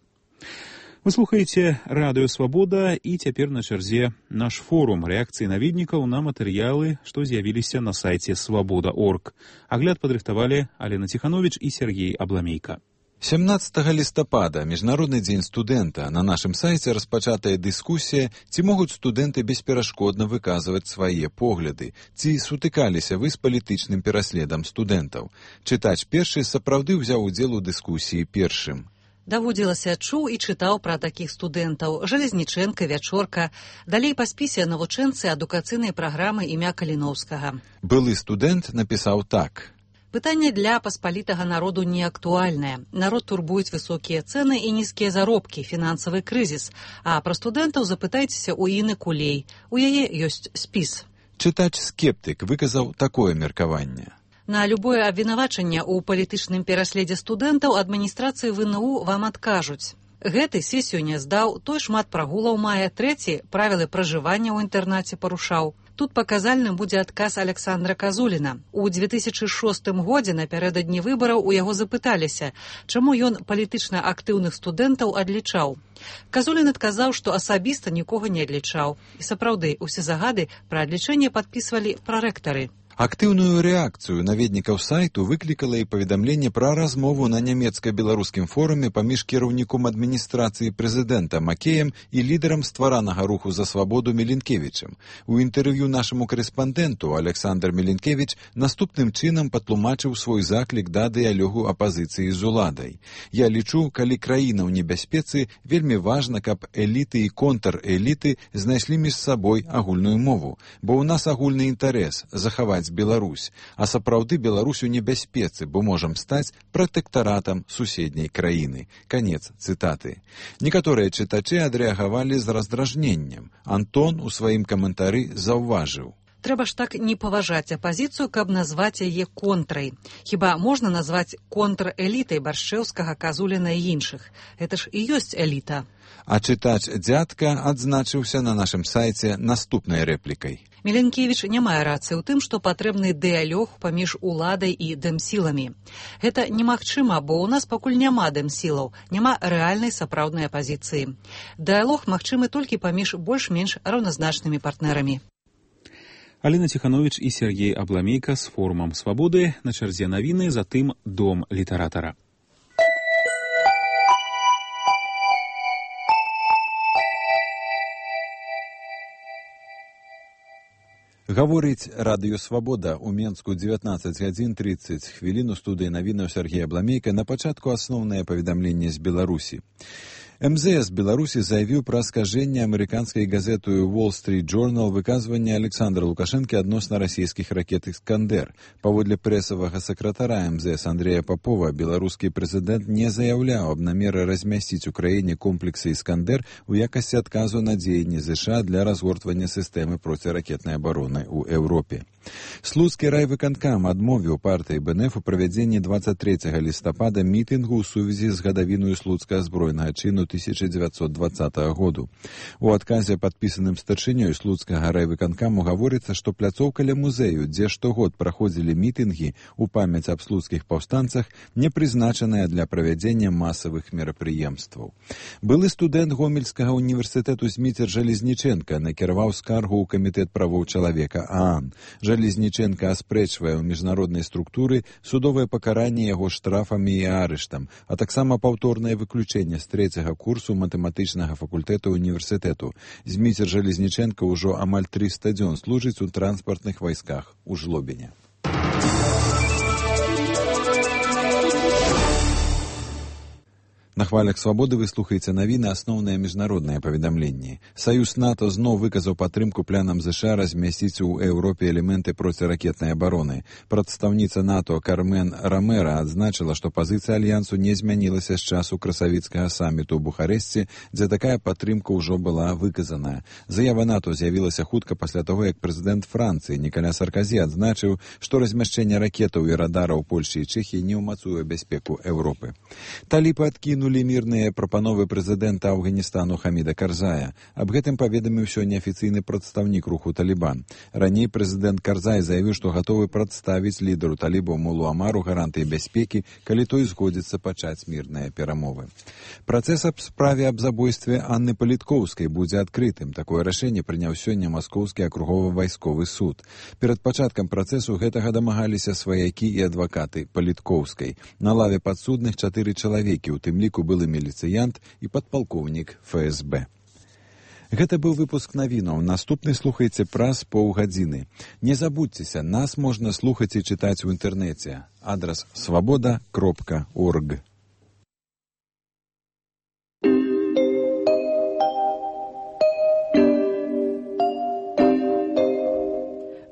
Вы слухаеце радыё «Свабода» і цяпер на чарзе наш форум рэакцыі наведнікаў на матэрыялы, што з'явіліся на сайце свабода точка орг. Агляд падрыхтавалі Алена Ціхановіч і Сергей Абламейка. сямнаццатага лістапада, міжнародны дзень студэнта, на нашым сайце распачатая дыскусія, ці могуць студэнты бесперашкодна выказваць свае погляды, ці сутыкаліся вы з палітычным пераследам студэнтаў. Чытач першы сапраўды ўзяў удзел у дыскусіі першым. Даводзілася, чуў і чытаў пра такіх студэнтаў: Жалезнічэнка, Вячорка, далей па спісе навучэнцы адукацыйнай праграмы імя Каліноўскага. Былы студэнт напісаў так. Пытанне для паспалітага народу не актуальнае. Народ турбуюць высокія цэны і нізкія заробкі, фінансавы крызіс. А пра студэнтаў запытайцеся ў Іны Кулей. У яе ёсць спіс. Чытач-скептык выказаў такое меркаванне. На любое абвінавачанне ў палітычным пераследзе студэнтаў адміністрацыі ВНУ вам адкажуць. Гэты сесію не здаў, той шмат прагулаў мае, трэці правілы пражывання ў інтэрнаце парушаў. Тут паказальным будзе адказ Александра Казуліна. У дзве тысячы шостым годзе напярэдадні выбараў у яго запыталіся, чаму ён палітычна актыўных студэнтаў адлічаў. Казулін адказаў, што асабіста нікога не адлічаў. І сапраўды, усе загады пра адлічэнне падпісвалі прарэктары. Актыўную рэакцыю наведнікаў сайту выклікала і паведамленне пра размову на нямецка-беларускім форуме паміж кіраўніком адміністрацыі прэзідэнта Макеем і лідарам стваранага руху за свабоду Міленкевічам. У інтэрв'ю нашаму карэспандэнту Александр Міленкевіч наступным чынам патлумачыў свой заклік да дыялогу апазіцыі з уладай. Я лічу, калі краіна ў небяспецы, вельмі важна, каб эліты і контрэліты знайшлі між сабой агульную мову, бо ў нас агульны інтарэс захаваць захапаць Беларусь, а сапраўды Беларусь у небяспецы, бо можам стаць пратэктаратам суседняй краіны. Канец цытаты. Некаторыя чытачы адрэагавалі з раздражненнем. Антон у сваім каментары заўважыў: трэба ж так не паважаць апазіцыю, каб назваць яе контрай. Хіба можна назваць контрэлітай Баршчэўскага, Казуліна і іншых? Гэта ж і ёсць эліта. А чытач дзядка адзначыўся на нашым сайце наступнай рэплікай. Міленкевіч не мае рацыі ў тым, што патрэбны дыялог паміж уладай і дэмсіламі. Гэта немагчыма, бо ў нас пакуль няма дэмсілаў, няма рэальнай сапраўднай апазіцыі. Дыялог магчымы толькі паміж больш-менш раўназначнымі партнерамі. Алена Ціхановіч і Сергей Абламейка з форумам «Свабоды». На чарзе навіны, затым дом літаратара. Гаворыць радыё «Свабода» у Менску дзевятнаццаць гадзін трыццаць хвілін. У студыі навінаў Сергей Абламейка. На пачатку асноўнае паведамленне з Беларусі. эм зэ эс Беларусі заявіў пра скажэнне амерыканскай газеты Wall Street Journal выказвання Александра Лукашэнкі адносна расійскіх ракет «Іскандер». Паводле прэсавага сакратара эм зэ эс Андрэя Папова, беларускі прэзідэнт не заяўляў аб намеры размясціць у краіне комплексы «Іскандер» у якасці адказу на дзеянні ЗША для разгортвання сістэмы проціракетнай абароны ў Еўропе. Слуцкі райвыканкам адмовіў партыі бэ эн эф у правядзенні дваццаць трэцяга лістапада мітынгу ў сувязі з гадавінаю слуцкага збройнага чыну тысяча дзевяцьсот дваццатага году. У адказе, падпісаным старшынёй слуцкага райвыканкаму, гаворыцца, што пляцоўка ля музею, дзе штогод праходзілі мітынгі ў памяць аб слуцкіх паўстанцах, не прызначаная для правядзення масавых мерапрыемстваў. Былы студэнт Гомельскага універсітэту Зміцер Жалезніченка накіраваў скаргу ў камітэт правоў чалавека ААН. Жалезніченка аспрэчвае ў міжнароднай структуры судовае пакаранне яго штрафамі і арыштам, а таксама паўторнае выключэнне з трэцяга курсу матэматычнага факультэта універсітэту. Зміцер Жалезніченка ўжо амаль трыста дзён служыць у транспартных вайсках у Жлобіне. На хвалях «Свабоды» вы слухаеце навіны, асноўныя міжнародныя паведамленні. Саюз НАТО зноў выказаў падтрымку планам ЗША размясціць у Еўропе элементы проціракетнай абароны. Прадстаўніца НАТО Кармен Рамера адзначыла, што пазіцыя альянсу не змянілася з часу красавіцкага саміту ў Бухарэсце, дзе такая падтрымка ўжо была выказаная. Заява НАТО з'явілася хутка пасля таго, як прэзідэнт Францыі Нікаля Сарказі адзначыў, што размяшчэнне ракетаў і радараў Польшчы і Чэхіі не ўмацуе бяспеку Еўропы. Талібы адкінулі мірныя прапановы прэзідэнта Афганістану Хаміда Карзая. Аб гэтым паведаміў сёння афіцыйны прадстаўнік руху «Талібан». Раней прэзідэнт Карзай заявіў, што гатовы прадставіць лідару талібаў Мулу Амару гарантыі бяспекі, калі той згодзіцца пачаць мірныя перамовы. Працэс аб справе аб забойстве Анны Паліткоўскай будзе адкрытым. Такое рашэнне прыняў сёння Маскоўскі акругова-вайсковы суд. Перад пачаткам працэсу гэтага дамагаліся сваякі і адвакаты Паліткоўскай. На лаве падсудных чатыры чалавекі, у тым ліку былы міліцыянт і падпалкоўнік эф эс бэ. Гэта быў выпуск навінаў. Наступны слухайце праз паўгадзіны. Не забудзьцеся, нас можна слухаць і чытаць у інтэрнэце. Адрас свабода кропка орг.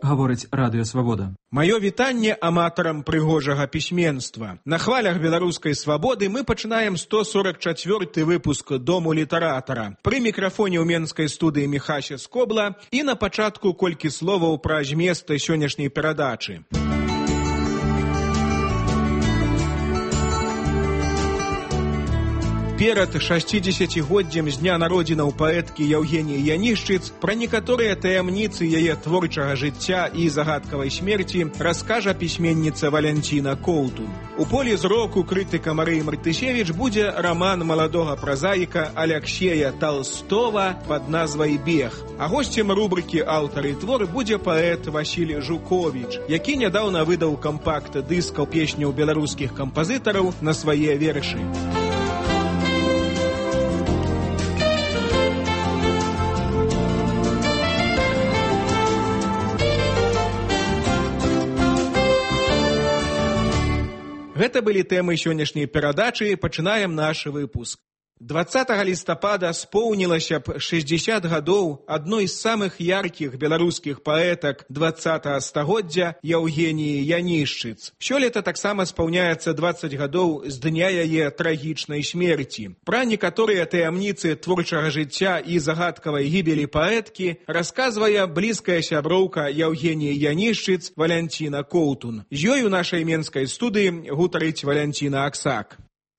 Гаворыць радыё «Свабода». Маё вітанне аматарам прыгожага пісьменства. На хвалях беларускай свабоды мы пачынаем сто сорок чацвёрты выпуск дому літаратара. Пры мікрафоне ў менскай студыі Міхася Скобла і на пачатку колькі словаў пра змест сённяшняй перадачы. Перад шасцідзесяцігоддзем з дня народзінаў паэткі Яўгеніі Янішчыц пра некаторыя таямніцы яе творчага жыцця і загадкавай смерці раскажа пісьменніца Валянціна Коўтун. У полі зроку крытыка Марыі Мартысевіч будзе раман маладога празаіка Аляксея Талстова пад назвай «Бег». А госцем рубрыкі «Аўтар і твор» будзе паэт Васіль Жуковіч, які нядаўна выдаў кампакт-дыскаў песняў беларускіх кампазітараў на свае вершы. Гэта былі тэмы сённяшняй перадачы. Пачынаем наш выпуск. дваццатага лістапада споўнілася б шэсцьдзесят гадоў адной з самых яркіх беларускіх паэтак дваццатага стагоддзя Яўгеніі Янішчыц. Сёлета таксама спаўняецца дваццаць гадоў з дня яе трагічнай смерці. Пра некаторыя таямніцы творчага жыцця і загадкавай гібелі паэткі расказвае блізкая сяброўка Яўгеніі Янішчыц Валянціна Коўтун. З ёй у нашай менскай студыі гутарыць Валянціна Аксак.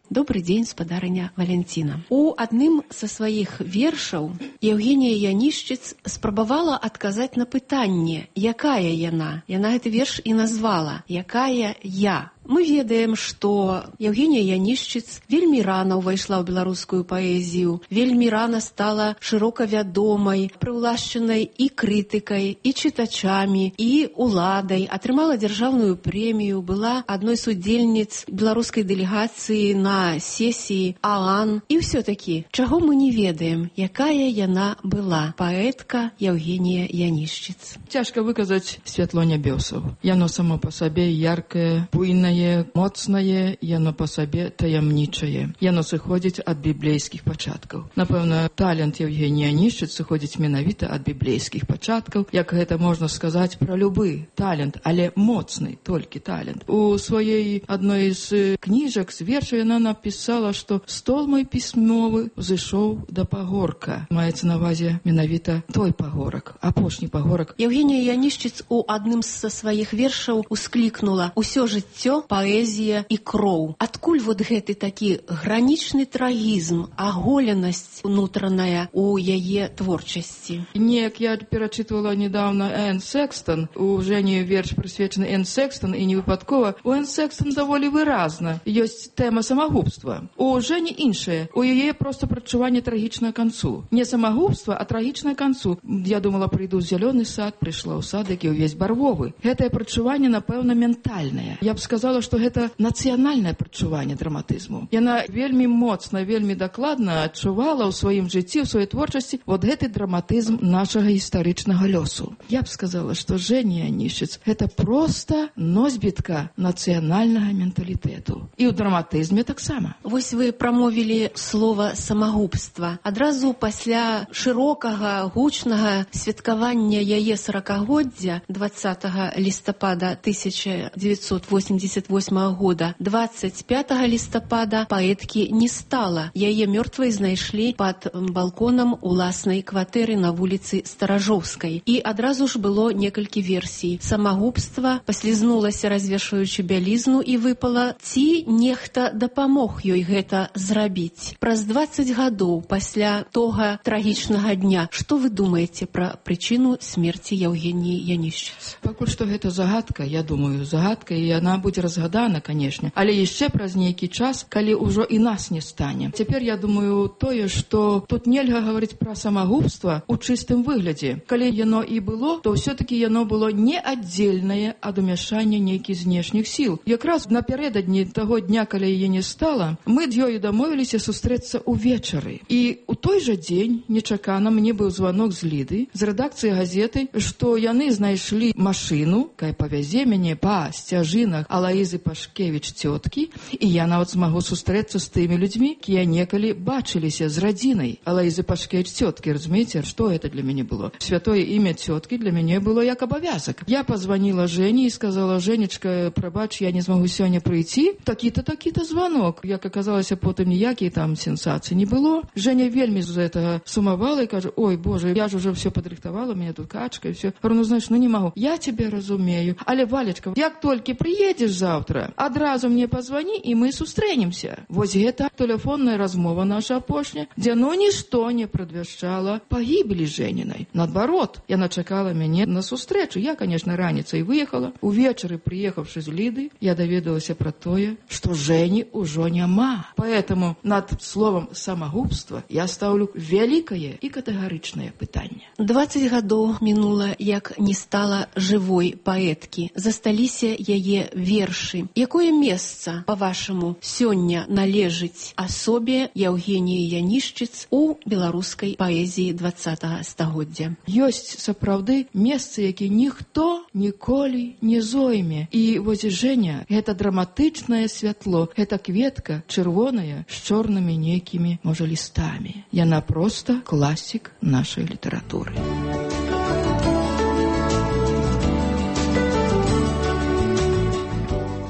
Добрый день, спадарыня Валянціна. У адным са сваіх вершаў Яўгенія Янішчыц спрабавала адказаць на пытанне, якая яна. Яна гэты верш і назвала «Якая я». Мы ведаем, што Яўгенія Янішчыц вельмі рана ўвайшла ў беларускую паэзію, вельмі рана стала шырока вядомай, прыўлашчанай і крытыкай, і чытачамі, і уладай, атрымала дзяржаўную прэмію, была адной з удзельніц беларускай дэлегацыі на сесіі ААН. І ўсё-такі, чаго мы не ведаем, якая яна была, паэтка Яўгенія Янішчыц. Цяжка выказаць святло нябёсаў. Яно само па сабе яркае, буйнае, моцнае, яно па сабе таямнічае. Яно сыходзіць ад біблейскіх пачаткаў. Напэўна, талент Яўгенія Янішчыц сыходзіць менавіта ад біблейскіх пачаткаў, як гэта можна сказаць пра любы талент, але моцны толькі талент. У сваёй адной з кніжак, з вершаў яна напісала, што стол мой пісьмовы зышоў да пагорка. Маецца на ўвазе менавіта той пагорак, апошні пагорак. Яўгенія Янішчыц у адным са сваіх вершаў усклікнула «Усё жыццё паэзія і кроў». Адкуль вот гэты такі гранічны трагізм, аголенасць унутраная у яе творчасці? Неяк я перачытвала недавно Энн Секстон. У Жені верш прысвечаны Энн Секстон, і не выпадкова. У Энн Секстон даволі выразна. Ёсць тэма самагубства. У Жені іншае. У яе проста прадчуванне трагічнага канцу. Не самагубства, а трагічнага канцу. Я думала, прыйду ў зялёны сад, прыйшла ў сад, які ўвесь барвовы. Гэтае прадчуванне, напэўна, ментальнае. Я б сказала, што гэта нацыянальнае прадчуванне драматызму. Яна вельмі моцна, вельмі дакладна адчувала ў сваім жыцці, ў сваёй творчасці вот гэты драматызм нашага гістарычнага лёсу. Я б сказала, што Жэня Янішчыц гэта проста носьбітка нацыянальнага менталітэту. І ў драматызме таксама. Вось вы прамовілі слова самагубства. Адразу пасля шырокага, гучнага святкавання яе саракагоддзя дваццатага лістапада тысяча дзевяцьсот восемьдесят восьмага года, двадцать пятага лістапада паэткі не стала. Яе мёртвай знайшлі пад балконам уласнай кватэры на вуліцы Старажоўскай. І адразу ж было некалькі версій. Самагубства, паслізнулася, развешваючы бялізну, і выпала, ці нехта дапамог ёй гэта зрабіць. Праз двадцать гадоў пасля тога трагічнага дня, што вы думаеце пра прычыну смерці Яўгеніі Янішчыц? Пакуль што гэта загадка, я думаю, загадка, і яна будзе разгадана, канешне, але яшчэ праз нейкі час, калі ўжо і нас не стане. Цяпер я думаю тое, што тут нельга гаварыць пра самагубства ў чыстым выглядзе. Калі яно і было, то ўсё-такі яно было не аддзельнае ад умяшання нейкіх знешніх сіл. Якраз напярэдадні таго дня, калі яе не стала, мы з ёю дамовіліся сустрэцца ўвечары. І у той жа дзень нечакана мне быў званок з Ліды, з рэдакцыі газеты, што яны знайшлі машыну, кая павязе мяне па сцяжынах Алаізы Пашкевіч цёткі, і я нават змагу сустрэцца з тымі людзьмі, якія некалі бачыліся з радзінай Алаізы Пашкевіч цёткі. Разумееце, што гэта для мяне было? Святое імя цёткі для мяне было як абавязак. Я пазванила Жені і сказала: «Женечка, прабач, я не змагу сёння прыйти. Такі-то, такі-то званок». Як аказалася, потым ніякіх там сенсацый не было. Женя вельмі з гэтага сумавала і кажа: «Ой, Боже, я ж уже все падрыхтавала, меня тут качка, и все». Говорю: «Ну, знаешь, ну не могу». «Я тебя разумею. Але, Валечка, як толькі прыедзеш завтра, адразу мне позвони, і мы сустрэнемся». Вось гэта тэлефонная размова наша апошняя, дзе ну нішто не прадвяшчала пагібелі Жэнінай. Наадварот, яна чакала мяне на сустрэчу. Я, конечно, раніцай выехала. Увечары, прыехаўшы з Ліды, я даведалася пра тое, што Жэні ўжо няма. Поэтому над словом самагубства я ставлю вялікае і катэгарычнае пытанне. двадцать гадоў мінула, як не стала жывой паэткі. Засталіся яе вершы. вершы. Якое месца, па-вашаму, сёння належыць асобе Яўгеніі Янішчыц у беларускай паэзіі двадцатага стагоддзя? Ёсць сапраўды месца, які ніхто ніколі не зойме. І вось Жэня, гэта драматычнае святло, гэта кветка чырвоная з чорнымі нейкімі, можа, лістамі. Яна проста класік нашай літаратуры.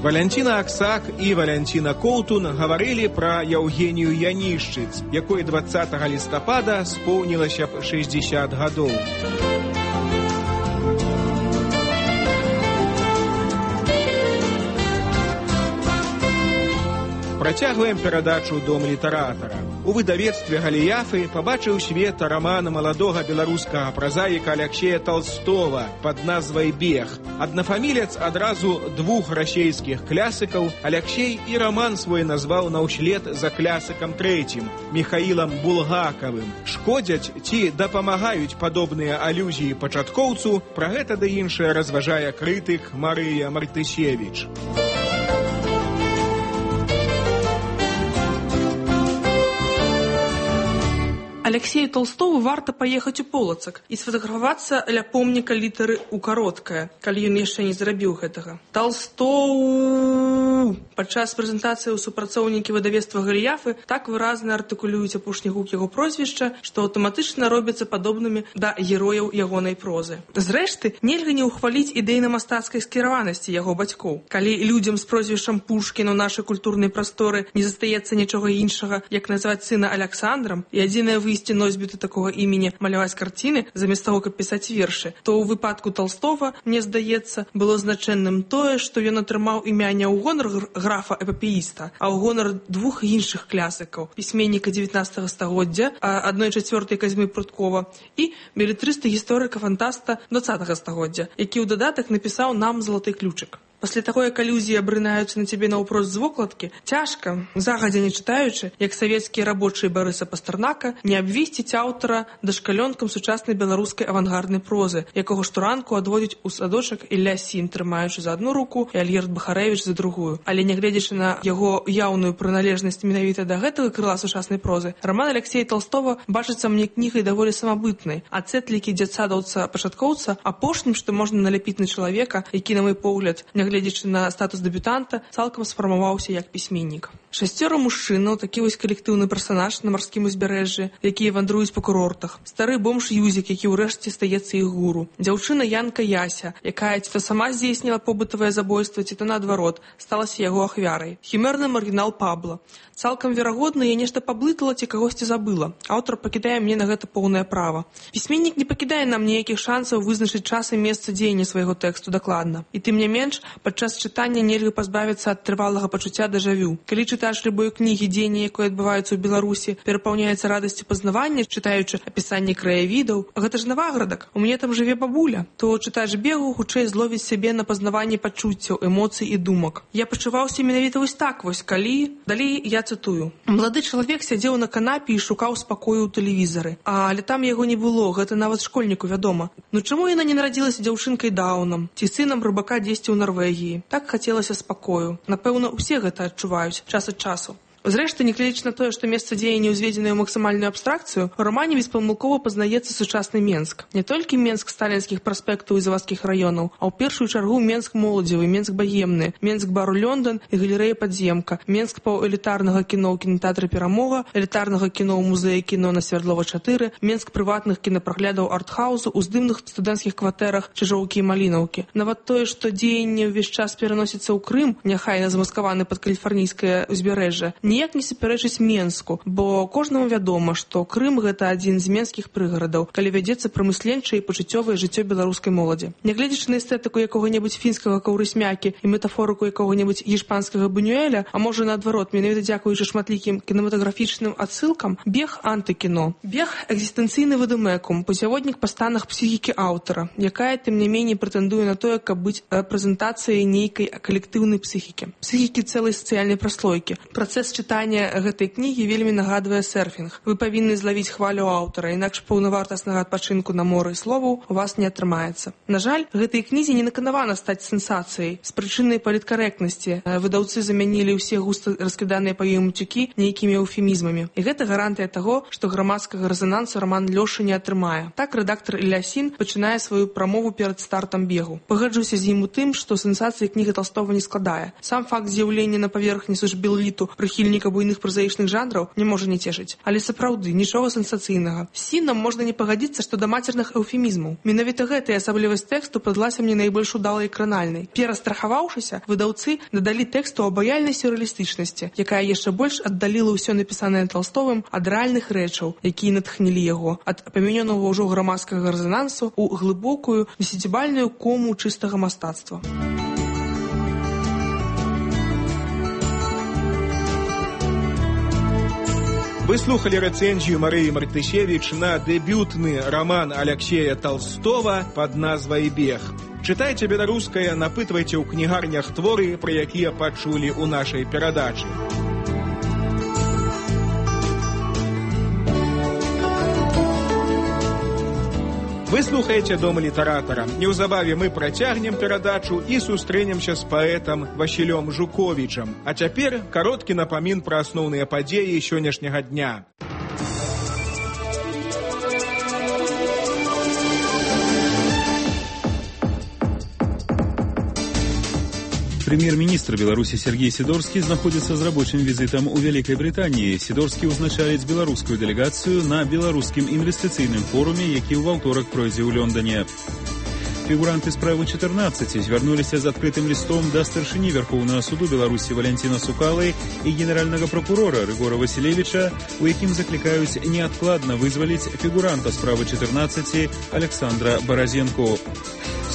Валянціна Аксак і Валянціна Коўтун гаварылі пра Яўгенію Янішчыц, якой двадцатага лістапада споўнілася б шэсцьдзесят гадоў. Працягваем перадачу «Дом літаратара». У выдавецтве «Галіяфы» пабачыў свет раман маладога беларускага празаіка Аляксея Толстого пад назвай «Бег». Аднафамілец адразу двух расейскіх клясыкаў. Аляксей і раман свой назваў наўслед за клясыкам трэцім – Міхаілам Булгакавым. Шкодзяць ці дапамагаюць падобныя алюзіі пачаткоўцу? Пра гэта ды іншае разважае крытык Марыя Мартысевіч. Алексею Толстову варта паехаць у Полацак і сфотаграфавацца ля помніка літары ў кароткае, калі ён яшчэ не зрабіў гэтага. Толстоў! Падчас прэзентацыі ў супрацоўнікі выдавецтва Галіяфы так выразна артыкулююць апошні гук яго прозвішча, што аўтаматычна робяцца падобнымі да герояў ягонай прозы. Зрэшты, нельга не ўхваліць ідэйна-мастацкай скіраванасці яго бацькоў. Калі людзям з прозвішчам Пушкін у нашай культурнай прасторы не застаецца нічога іншага, як назваць сына Аляксандрам, і адзінае выйсце носьбіты такога імені маляваць карціны замест таго, каб пісаць вершы, то ў выпадку Толстого, мне здаецца, было значэнным тое, што ён атрымаў імя не ў гонар графа-эпапеіста, а ў гонар двух іншых клясыкаў, пісьменніка дзевятнаццатага стагоддзя, адной чацвёртай Казьмы Пруткова, і белетрыста гісторыка-фантаста дваццатага стагоддзя, які ў дадатак напісаў нам «Залаты ключык». Пасля таго, як алюзіі абрынаюцца на цябе наўпрост з вокладкі, цяжка, загадзя не чытаючы, як савецкія рабочыя Барыса Пастарнака, не абвесціць аўтара дашкалёнкам сучаснай беларускай авангарднай прозы, якога штуранку адводзіць у садочак Ілля Сін, трымаючы за адну руку, і Альгерд Бахарэвіч за другую. Але нягледзячы на яго яўную прыналежнасць менавіта да гэтага крыла сучаснай прозы, раман Аляксея Толстого бачыцца мне кнігай даволі самабытнай, а цэтлікі дзядсадаўца-пачаткоўца апошнім, што можна наляпіць на чалавека, які, на мой погляд, гледзячы на статус дэбютанта, цалкам сфармаваўся як пісьменнік. Шасцёра мужчынаў, такі вось калектыўны персанаж на марскім узбярэжжы, якія вандруюць па курортах. Стары бомж Юзік, які ўрэшце стаецца іх гуру. Дзяўчына Янка Яся, якая ці то сама здзейсніла побытавае забойства, ці то наадварот, сталася яго ахвярай. Хімерны маргінал Пабло. Цалкам верагодна, я нешта паблытала ці кагосьці забыла. Аўтар пакідае мне на гэта поўнае права. Пісьменнік не пакідае нам ніякіх шансаў вызначыць час і месца дзеяння свайго тэксту дакладна. І тым не менш, падчас чытання нельга пазбавіцца ад трывалага пачуцця дэжавю. Калі чытач любой кнігі, дзеянне якой адбываюцца ў Беларусі, перапаўняецца радасцю пазнавання, чытаючы апісанне краявідаў. Гэта ж Наваградак, у мяне там жыве бабуля. То чытач бегу хутчэй зловіць сябе на пазнаванне пачуццяў, эмоцый і думак. Я пачуваўся менавіта вось так вось, калі... Далей я цытую. Малады чалавек сядзеў на канапе і шукаў спакою ў тэлевізары. Але там яго не было, гэта нават школьніку вядома. Ну чаму яна не нарадзілася дзяўчынкай Даўнам, ці сынам рыбака дзесьці ў Нарвегіі? Так хацелася спакою. Напэўна, усе гэта адчуваюць час ад часу. Зрэшты, нягледзячы на тое, што месца дзеяння ўзведзенае ў максімальную абстракцыю, у рамане беспамылкова пазнаецца сучасны Менск. Не толькі Менск сталінскіх праспектаў і завадскіх раёнаў, а ў першую чаргу Менск моладзевы, Менск баемны, Менск бару Лёндан і галерэя Падземка, Менск паўэлітарнага кіно ў кінотэатры Перамога, элітарнага кіно ў музеі кіно на Свярдлова чатыры, Менск прыватных кінапраглядаў артхаузу ў здымных студэнцкіх кватэрах Чыжоўкі і Малінаўкі. Нават тое, што дзеянне ўвесь час пераносіцца ў Крым, няхай замаскаваны пад каліфарнійскае ўзбярэжжа, ніяк не супярэчыць Менску, бо кожнаму вядома, што Крым гэта адзін з менскіх прыгарадаў, калі вядзецца прамысленчае і пачуццёвае жыццё беларускай моладзі. Нягледзячы на эстэтыку якога-небудзь фінскага каўрысмякі і метафорыку якога-небудзь гішпанскага Бунюэля, а можа наадварот, менавіта дзякуючы шматлікім кінематаграфічным адсылкам, бег антыкіно. Бег экзістэнцыйны вадымекум, пуцяводнік па станах псіхікі аўтара, якая тым не меней прэтэндуе на тое, каб быць рэпрэзентацыяй нейкай калектыўнай псіхікі, псіхікі цэлай сацыяльнай праслойкі. Працэс чытанне гэтай кнігі вельмі нагадвае серфінг. Вы павінны злавіць хвалю аўтара, інакш паўнавартаснага адпачынку на моры словаў у вас не атрымаецца. На жаль, гэтай кнізе не наканавана стаць сенсацыяй. З прычынай паліткарэктнасці выдаўцы замянілі ўсе густа раскіданыя па ёй муцюкі нейкімі эўфемізмамі. І гэта гарантыя таго, што грамадскага рэзанансу раман Лёша не атрымае. Так рэдактар Ілясін пачынае сваю прамову перад стартам бегу. Пагаджуся з ім у тым, што сенсацыі кніга Талстога не складае. Сам факт з'яўлення на паверхні сушбілліту прыхільніка буйных празаічных жанраў не можа не цешыць. Але сапраўды, нічога сенсацыйнага. З Сінам можна не пагадзіцца, што да мацерных эўфемізмаў. Менавіта гэтая асаблівасць тэксту падалася мне найбольш удалай і кранальнай. Перастрахаваўшыся, выдаўцы дадалі тэксту абаяльнай сюррэалістычнасці, якая яшчэ больш аддаліла ўсё напісанае Талстовым ад рэальных рэчаў, якія натхнілі яго, ад памянёнага ўжо грамадскага рэзанансу ў глыбокую десятибальную кому чыстага мастацтва. Вы слухали рэцэнзію Марыі Мартышевіч на дэбютны раман Аляксея Талстова пад назвай «Бег». Чытайце беларускае, напытвайце ў кнігарнях творы, пра якія пачулі ў нашай перадачы. Вы слухаеце Дом літаратара. Неўзабаве мы працягнем перадачу і сустрэнемся з паэтам Васілём Жуковічам. А цяпер кароткі напамін пра асноўныя падзеі сённяшняга дня. Прэм'ер-міністр Беларусі Сергей Сидорскі знаходзіцца з рабочым візітам у Вялікай Брытаніі. Сидорскі ўзначаліць беларускую дэлегацыю на беларускім інвестыцыйным форуме, які ў аўторак пройдзе ў Лёндане. Фігуранты справы чатырнаццаць звярнуліся з адкрытым лістом да старшыні Вярхоўнага суду Беларусі Валянціна Сукалы і генеральнага пракурора Рыгора Васілевіча, у якім заклікаюць неадкладна вызваліць фігуранта справы чатырнаццаць Александра Баразенко.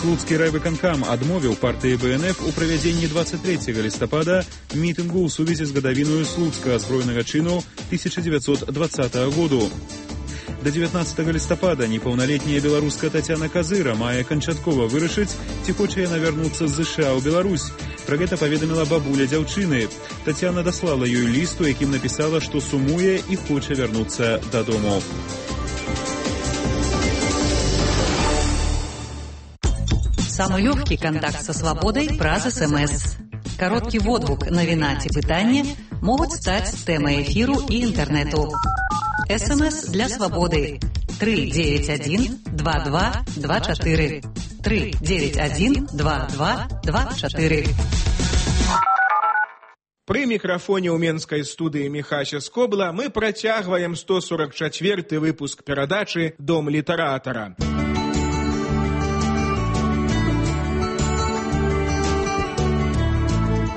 Слуцкі райвыканкам адмовіў партыі Бэ Эн Эф у правядзенні двадцать трэцяга лістапада мітынгу ў сувязі з гадавінаю слуцкага збройнага чыну тысяча девятьсот двадцатого году. До дзевятнаццатага лістапада непаўналетняя беларуска Тацяна Казыра мае канчаткова вырашыць, ці хоча яна вярнуцца з ЗША ў Беларусь. Пра гэта паведаміла бабуля дзяўчыны. Тацяна даслала ёй ліст, у якім напісала, што сумуе і хоча вярнуцца дадому. Самый легкий контакт со свободой праз СМС. Короткий водгук, навіна ці пытанне могуць стаць тэмай эфіру і інтэрнэту. СМС для свободы три девять один два два два четыре три девять один два два два четыре. Пры мікрафоне ў менскай студыі Міхася Скобла мы працягваем сто сорок четвёрты выпуск перадачы «Дом літаратара».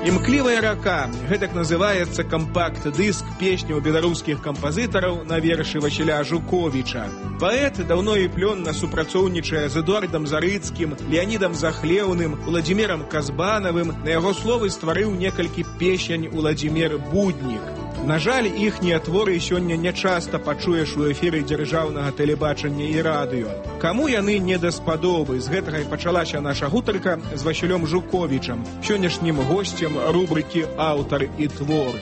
«Імклівая рака» – гэтак называецца кампакт-дыск песняў беларускіх кампазітараў на вершы Васіля Жуковіча. Паэт даўно і плённа супрацоўнічае з Эдуардам Зарыцкім, Леанідам Захлеўным, Уладзімірам Казбанавым. На яго словы стварыў некалькі песень Уладзімір Буднік. На жаль, іхнія творы сёння нячаста пачуеш у эфіры дзяржаўнага тэлебачання і радыё. Каму яны не даспадобы? З гэтага і пачалася наша гутарка з Васілём Жуковічам, сённяшнім госцем рубрыкі «Аўтар і твор».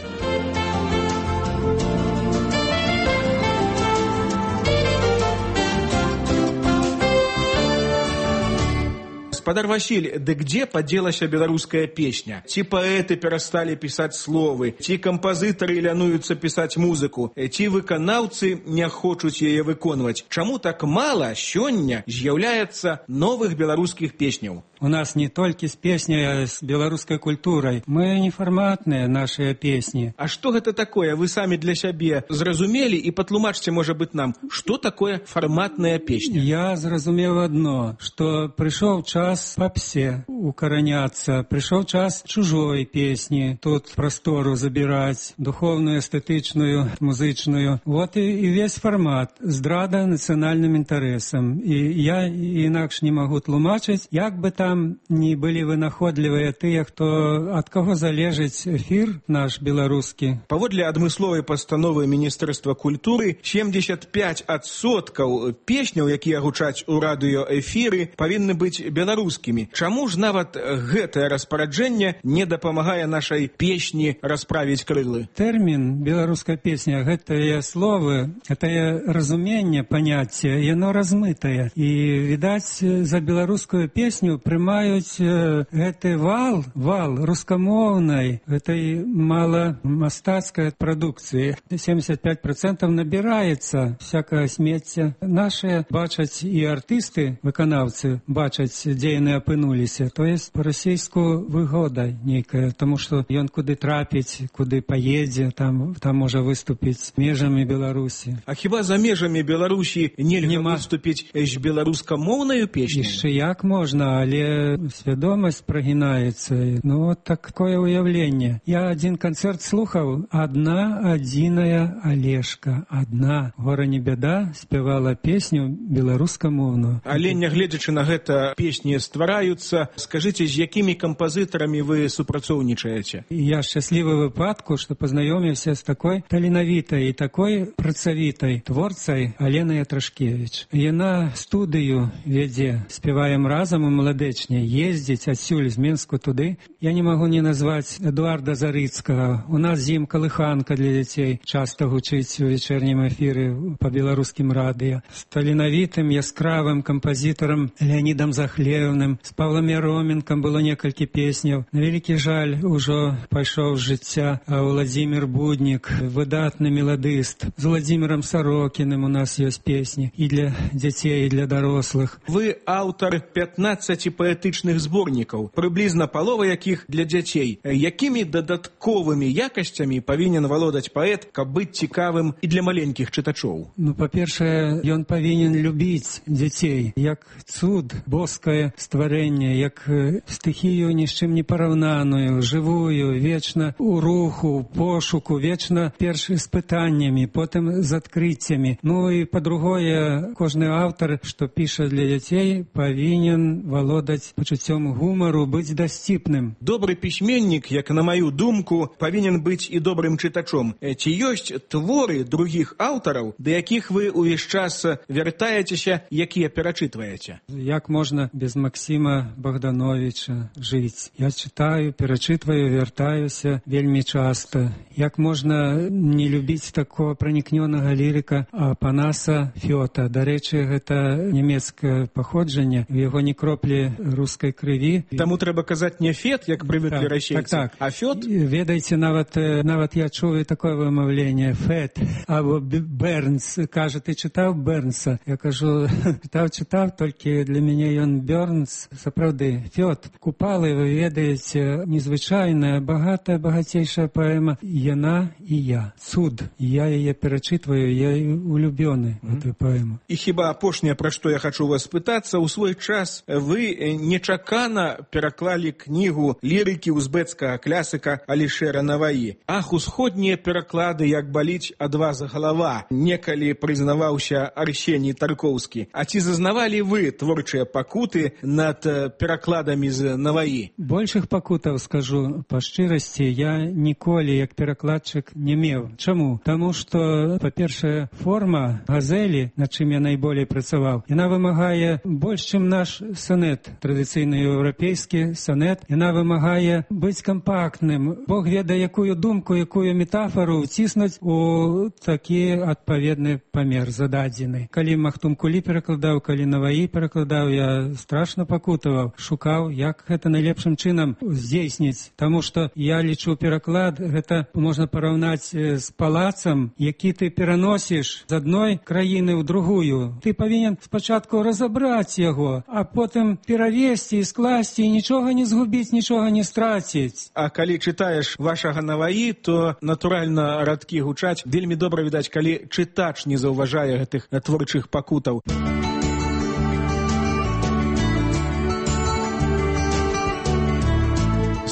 Господар Василь, да где поделася беларуская песня? Ці паэты перасталі пісаць словы, ці кампазітары лянуюцца пісаць музыку, ці выканаўцы не хочуць яе выконваць. Чаму так мала сёння з'яўляецца новых беларускіх песняў? У нас не толькі з песняй, а з беларускай культурай. Мы нефарматныя нашыя песні. А што гэта такое? Вы самі для сябе зразумелі і патлумачце, можа быць, нам, што такое фарматная песня? Я зразумеў адно, што прыйшоў час папсе укараняцца, прыйшоў час чужой песні, тут прастору забіраць, духовную, эстэтычную, музычную. Вот і, і весь фармат, здрада нацыянальным інтарэсам. І я інакш не магу тлумачыць, як бы там там не былі вынаходлівыя тыя, хто ад каго залежыць эфір наш беларускі. Паводле адмысловай пастановы Міністэрства культуры семьдесят пять адсоткаў песняў, якія гучаць у радыёэфіры, павінны быць беларускімі. Чаму ж нават гэтае распараджэнне не дапамагае нашай песні расправіць крылы? Тэрмін беларуская песня, гэтыя словы, гэтае разуменне, паняцце, яно размытае. І, відаць, за беларускую песню прымаюць гэты вал, вал рускамоўнай, гэтай маламастацкай прадукцыі. семьдесят пять процентов набіраецца всякае смецце. Нашыя бачаць і артысты, выканаўцы, бачаць, дзе яны апынуліся. То есть па-расейску выгода нейкая, тому што ён куды трапіць, куды паедзе, там, там можа выступіць межамі Беларусі. А хіба за межамі Беларусі нельга Нема... выступіць з беларускамоўнаю песню? Яшчэ як можна, але свядомасць прагінаецца. Ну, вот такое уяўленне. Я адзін канцэрт слухаў, адна адзіная Алешка, адна, гора не бяда, спявала песню беларускамоўную. Але нягледзячы на гэта песні ствараюцца, скажыце, з якімі кампазітарамі вы супрацоўнічаеце? Я шчаслівы выпадку, што пазнаёміўся з такой таленавітай і такой працавітай творцай Аленай Ятрашкевіч. Яна студыю вядзе, спяваем разам у Маладэчне, ездзіць адсюль з Менску туды. Я не магу не назваць Эдуарда Зарыцкага. У нас з ім калыханка для дзяцей часта гучыць у вечернім эфіры па беларускім радыё. З таленавітым, яскравым кампазітарам Леонідам Захлеўным, з Павлам Яроменкам было некалькі песняў. На вялікі жаль, ужо пайшоў з жыцця Владзімір Буднік, выдатны меладыст. З Владзімірам Сарокіным у нас ёсць песні і для дзяцей, і для дарослых. Вы аўтар пятнаццаці паэтычных зборнікаў, прыблізна палова якіх для дзяцей. Якімі дадатковымі якасцямі павінен валодаць паэт, каб быць цікавым і для маленькіх чытачоў? Ну, па-першае, ён павінен любіць дзяцей, як цуд, боскае стварэнне, як стыхію ні з чым не параўнаную, жывую, вечна у руху, пошуку, вечна перш з пытаннямі, потым з адкрыццямі. Ну і па-другое, кожны аўтар, што піша для дзяцей, павінен валодаць пачуццём гумару, быць дасціпным. Добры пісьменнік, як на маю думку, павінен быць і добрым чытачом. Ці ёсць творы другіх аўтараў, да якіх вы ўвесь час вяртаецеся, якія перачытваеце? Як можна без Максіма Богдановича жыць? Я чытаю, перачытваю, вяртаюся вельмі часта. Як можна не любіць такого пранікнёнага лірыка Апанаса Фёта? Дарэчы, гэта нямецкае паходжанне, у яго ні кроплі рускай крыві. Таму трэба казаць не Фет, як прывыклі расейцы, так, так. а Фёт? Ведаеце, нават, нават я чую такое вымаўленне, Фет, або Бернс. Кажа, ты чытаў Бернса? Я кажу, чытаў, чытаў, толькі для мяне ён Бернс. Сапраўды, Фёт, Купалы, вы ведаеце, незвычайная, багатая, багацейшая паэма «Яна і я». Цуд. Я яе перачытваю, я улюбёны в гэтую паэму. І хіба апошняе, пра што я хачу вас пытацца, у свой час вы нечакана пераклалі кнігу лірыкі узбецкага клясыка Алішэра Наваі. Ах, усходнія пераклады, як баліць ад вас галава, некалі прызнаваўся Арсеній Таркоўскі. А ці зазнавалі вы творчыя пакуты над перакладамі з Наваі? Большых пакутаў, скажу па шчырасці, я ніколі як перакладчык не меў. Чаму? Таму што, па-першае, форма газелі, над чым я найболей працаваў, яна вымагае больш, чым наш сонет, традыцыйны еўрапейскі сонет. Яна вымагае быць кампактным. Бог ведае, якую думку, якую метафору ўціснуць у такі адпаведны памер зададзены. Калі Махтум Кулі перакладаў, калі Наваі перакладаў, я страшна пакутаваў, шукаў, як гэта найлепшым чынам здзейсніць. Таму што я лічу, пераклад гэта можна параўнаць з палацам, які ты пераносіш з адной краіны ў другую. Ты павінен спачатку разабраць яго, а потым перавесці і скласці, і нічога не згубіць, нічога не страціць. А калі чытаеш вашага Наваі, то натуральна радкі гучаць. Вельмі добра відаць, калі чытач не заўважае гэтых творчых пакутаў.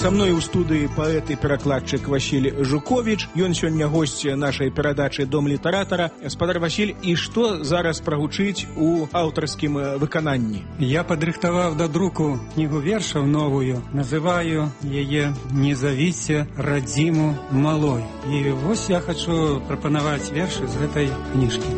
Со мной у студыі паэт і перакладчык Васіль Жуковіч. Ён сёння госць нашай перадачы «Дом літаратара». Спадар Васіль, і што зараз прагучыць у аўтарскім выкананні? Я падрыхтаваў да друку кнігу вершаў новую. Называю яе «Не завіце радзіму малой». І вось я хачу прапанаваць вершы з гэтай кніжкі.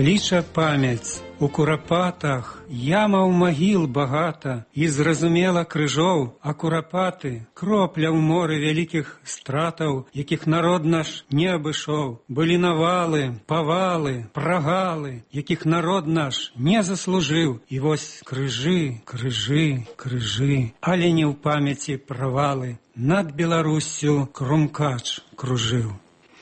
Кліча памяць у курапатах, ямаў магіл багата, і зразумела крыжоў, а курапаты кропля ў моры вялікіх стратаў, якіх народ наш не абышоў. Былі навалы, павалы, прагалы, якіх народ наш не заслужыў. І вось крыжы, крыжы, крыжы, але не ў памяці правалы. Над Беларуссю крумкач кружыў.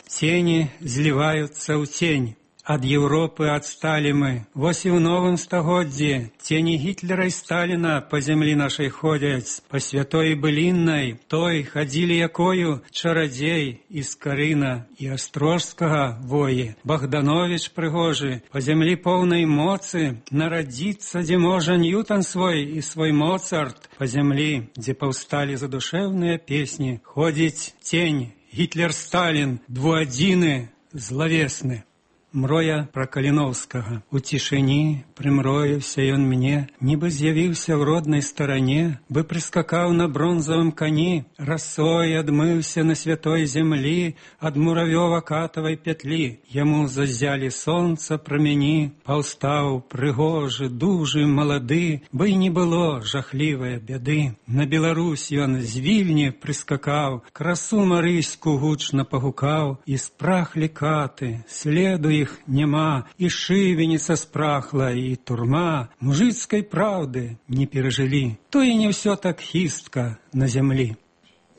Цені зліваюцца ў цень. Ад Европы адсталі мы. Вось і ў новым стагоддзі цені Гітлера і Сталіна па зямлі нашай ходзяць. Па святой быліннай той хадзілі якою чарадзей і Скарына і Астрожскага воі. Богданович прыгожы, па зямлі поўнай моцы, нарадзіцца, дзе можа Ньютон свой і свой Моцарт. Па зямлі, дзе паўсталі задушэўныя песні, ходзіць цень Гітлер-Сталін, двуадзіны злавесны. Мроя пра Каліноўскага. У цішыні прымроіўся ён мне, нібы з'явіўся ў роднай старане, бы прыскакаў на бронзавым кані, расой адмыўся на святой зямлі ад муравёва-катавай пятлі. Яму заззялі сонца прамяні, паўстаў прыгожы, дужы, малады, бы і не было жахлівае бяды. На Беларусь ён з Вільні прыскакаў, красу марыську гучна пагукаў, і спрахлі каты, следу іх няма, і шывеніца спрахла, і турма мужыцкай праўды не перажылі. То і не ўсё так хістка на зямлі.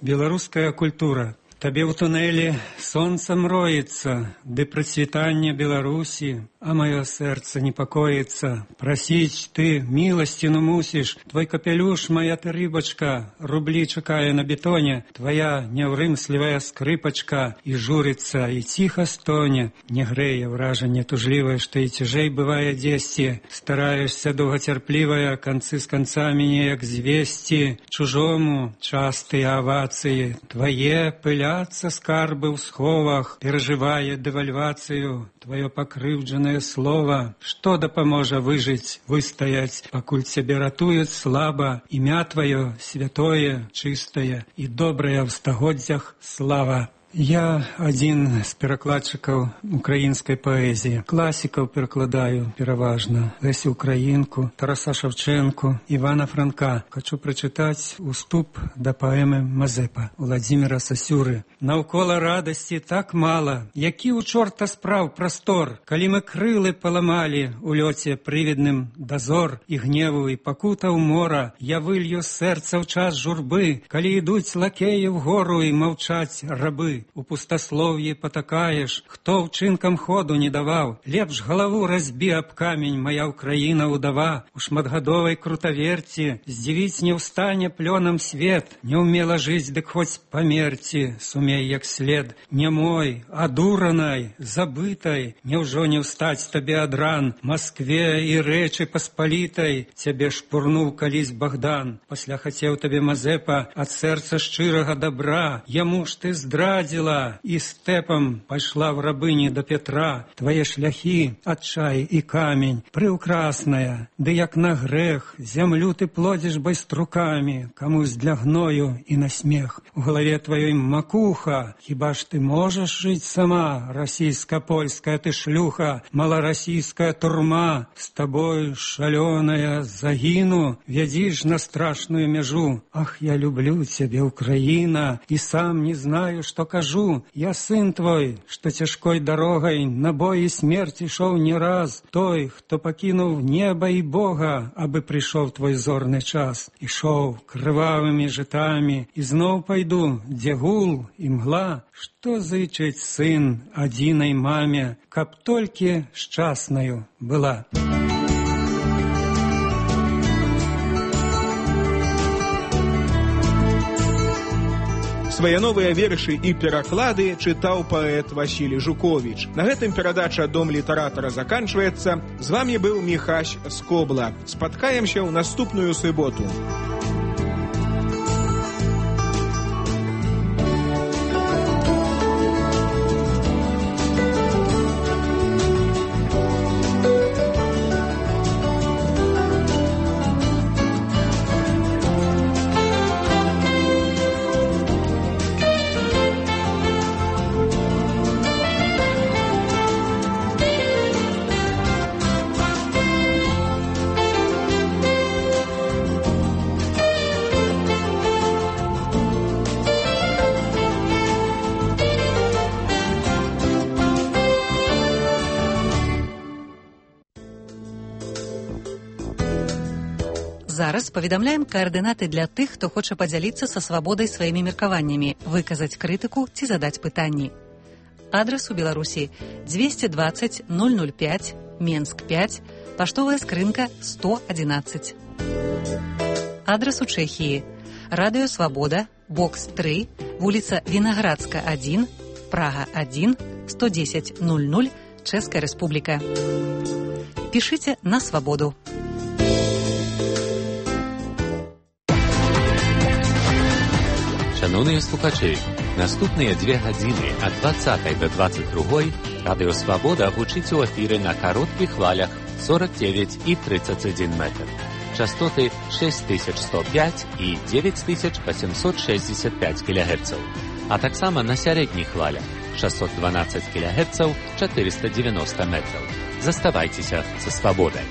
Беларуская культура. Табе ў тунэлі сонца мроіцца, ды працвітанне Беларусі, а маё сэрца непакоіцца. Прасіць ты міласціну мусіш, твой капелюш, моя ты рыбачка, рублі чакае на бетоне, твоя няўрымслівая скрыпачка, і журыцца, і ціха стоне. Не грэе ўражанне тужлівае, што і цяжэй бывае дзесьці. Стараешся доўгацярплівая, канцы з канцамі неяк звесці. Чужому частыя авацыі, твае пыля скарбы ў сховах, перажывае дэвальвацыю, твоё пакрыўджанае слова. Што дапаможа выжыць, выстаяць, пакуль цябе ратуюць слаба, імя твоё святое, чыстае і добрае ў стагоддзях слава. Я адзін з перакладчыкаў украінскай паэзіі. Класікаў перакладаю пераважна. Лесю Украінку, Тараса Шевченку, Івана Франка. Хачу прачытаць уступ да паэмы Мазепа Владзіміра Сасюры. Наўкола радасці так мала, які ў чорта спраў прастор, калі мы крылы паламалі у лёце прывідным дазор і гневу і пакутаў мора. Я вылью сэрца ў час журбы, калі ідуць лакеі вгору і маўчаць рабы. У пустаслов'і патакаеш, хто ўчынкам ходу не даваў. Лепш галаву разбі аб камень, моя Украіна удава. У шматгадовай крутаверці здзівіць не ўстане плёнам свет. Не ўмела жыць, дык хоць памерці, сумей як след. Не мой, а дуранай, забытай, няўжо не ўстаць табе ад ран. Маскве і рэчы паспалітай цябе шпурнуў калісь Богдан. Пасля хацеў табе Мазепа ад сэрца шчырага добра. Яму ж ты здрадзіла і стэпам пайшла в рабыні да Петра. Твае шляхі, адчай і камень, прыўкрасная, ды як на грэх, зямлю ты плодзіш байструкамі, камусь для гною і на смех. У галаве тваёй макуха, хіба ж ты можаш жыць сама, расійска-польская ты шлюха, маларасійская турма, з табой шалёная загіну, вядзіш на страшную мяжу. Ах, я люблю цябе, Украіна, і сам не знаю, што кажу. Я сын твой, што цяжкой дарогай на бой і смерць ішоў не раз. Той, хто пакінуў неба і Бога, абы прыйшоў твой зорны час. Ішоў крывавымі жытамі, і зноў пайду, дзе гул і мгла. Што зычыць сын адзінай маме, каб толькі шчаснаю была. Свае новыя вершы і пераклады чытаў паэт Васілій Жуковіч. На гэтым перадача «Дом літаратара» заканчваецца. З вами быў Міхась Скобла. Спаткаемся ў наступную суботу. Зараз паведамляем каардынаты для тых, хто хоча падзяліцца са свабодай сваімі меркаваннямі, выказаць крытыку ці задаць пытанні. Адрас у Беларусі двести двадцать ноль ноль пять, Менск пять, паштовая скрынка сто одиннадцать. Адрас у Чэхіі. Радыё Свабода, бокс три, вуліца Вінаградска один, Прага один, сто десять ноль ноль, Чэшская Рэспубліка. Пішыце на свабоду. Шановні слухачі, наступныя две гадзіны ад двадцатай да двадцать другой Радыё Свабода гучыць у эфіры на кароткіх хвалях сорок девять і тридцать один метр. Частоты шесть тысяч сто пять і девять тысяч восемьсот шестьдесят пять кілогерцаў, а таксама на сярэдніх хвалях шестьсот двенадцать кілогерцаў, четыреста девяносто метраў. Заставайцеся са свабодай.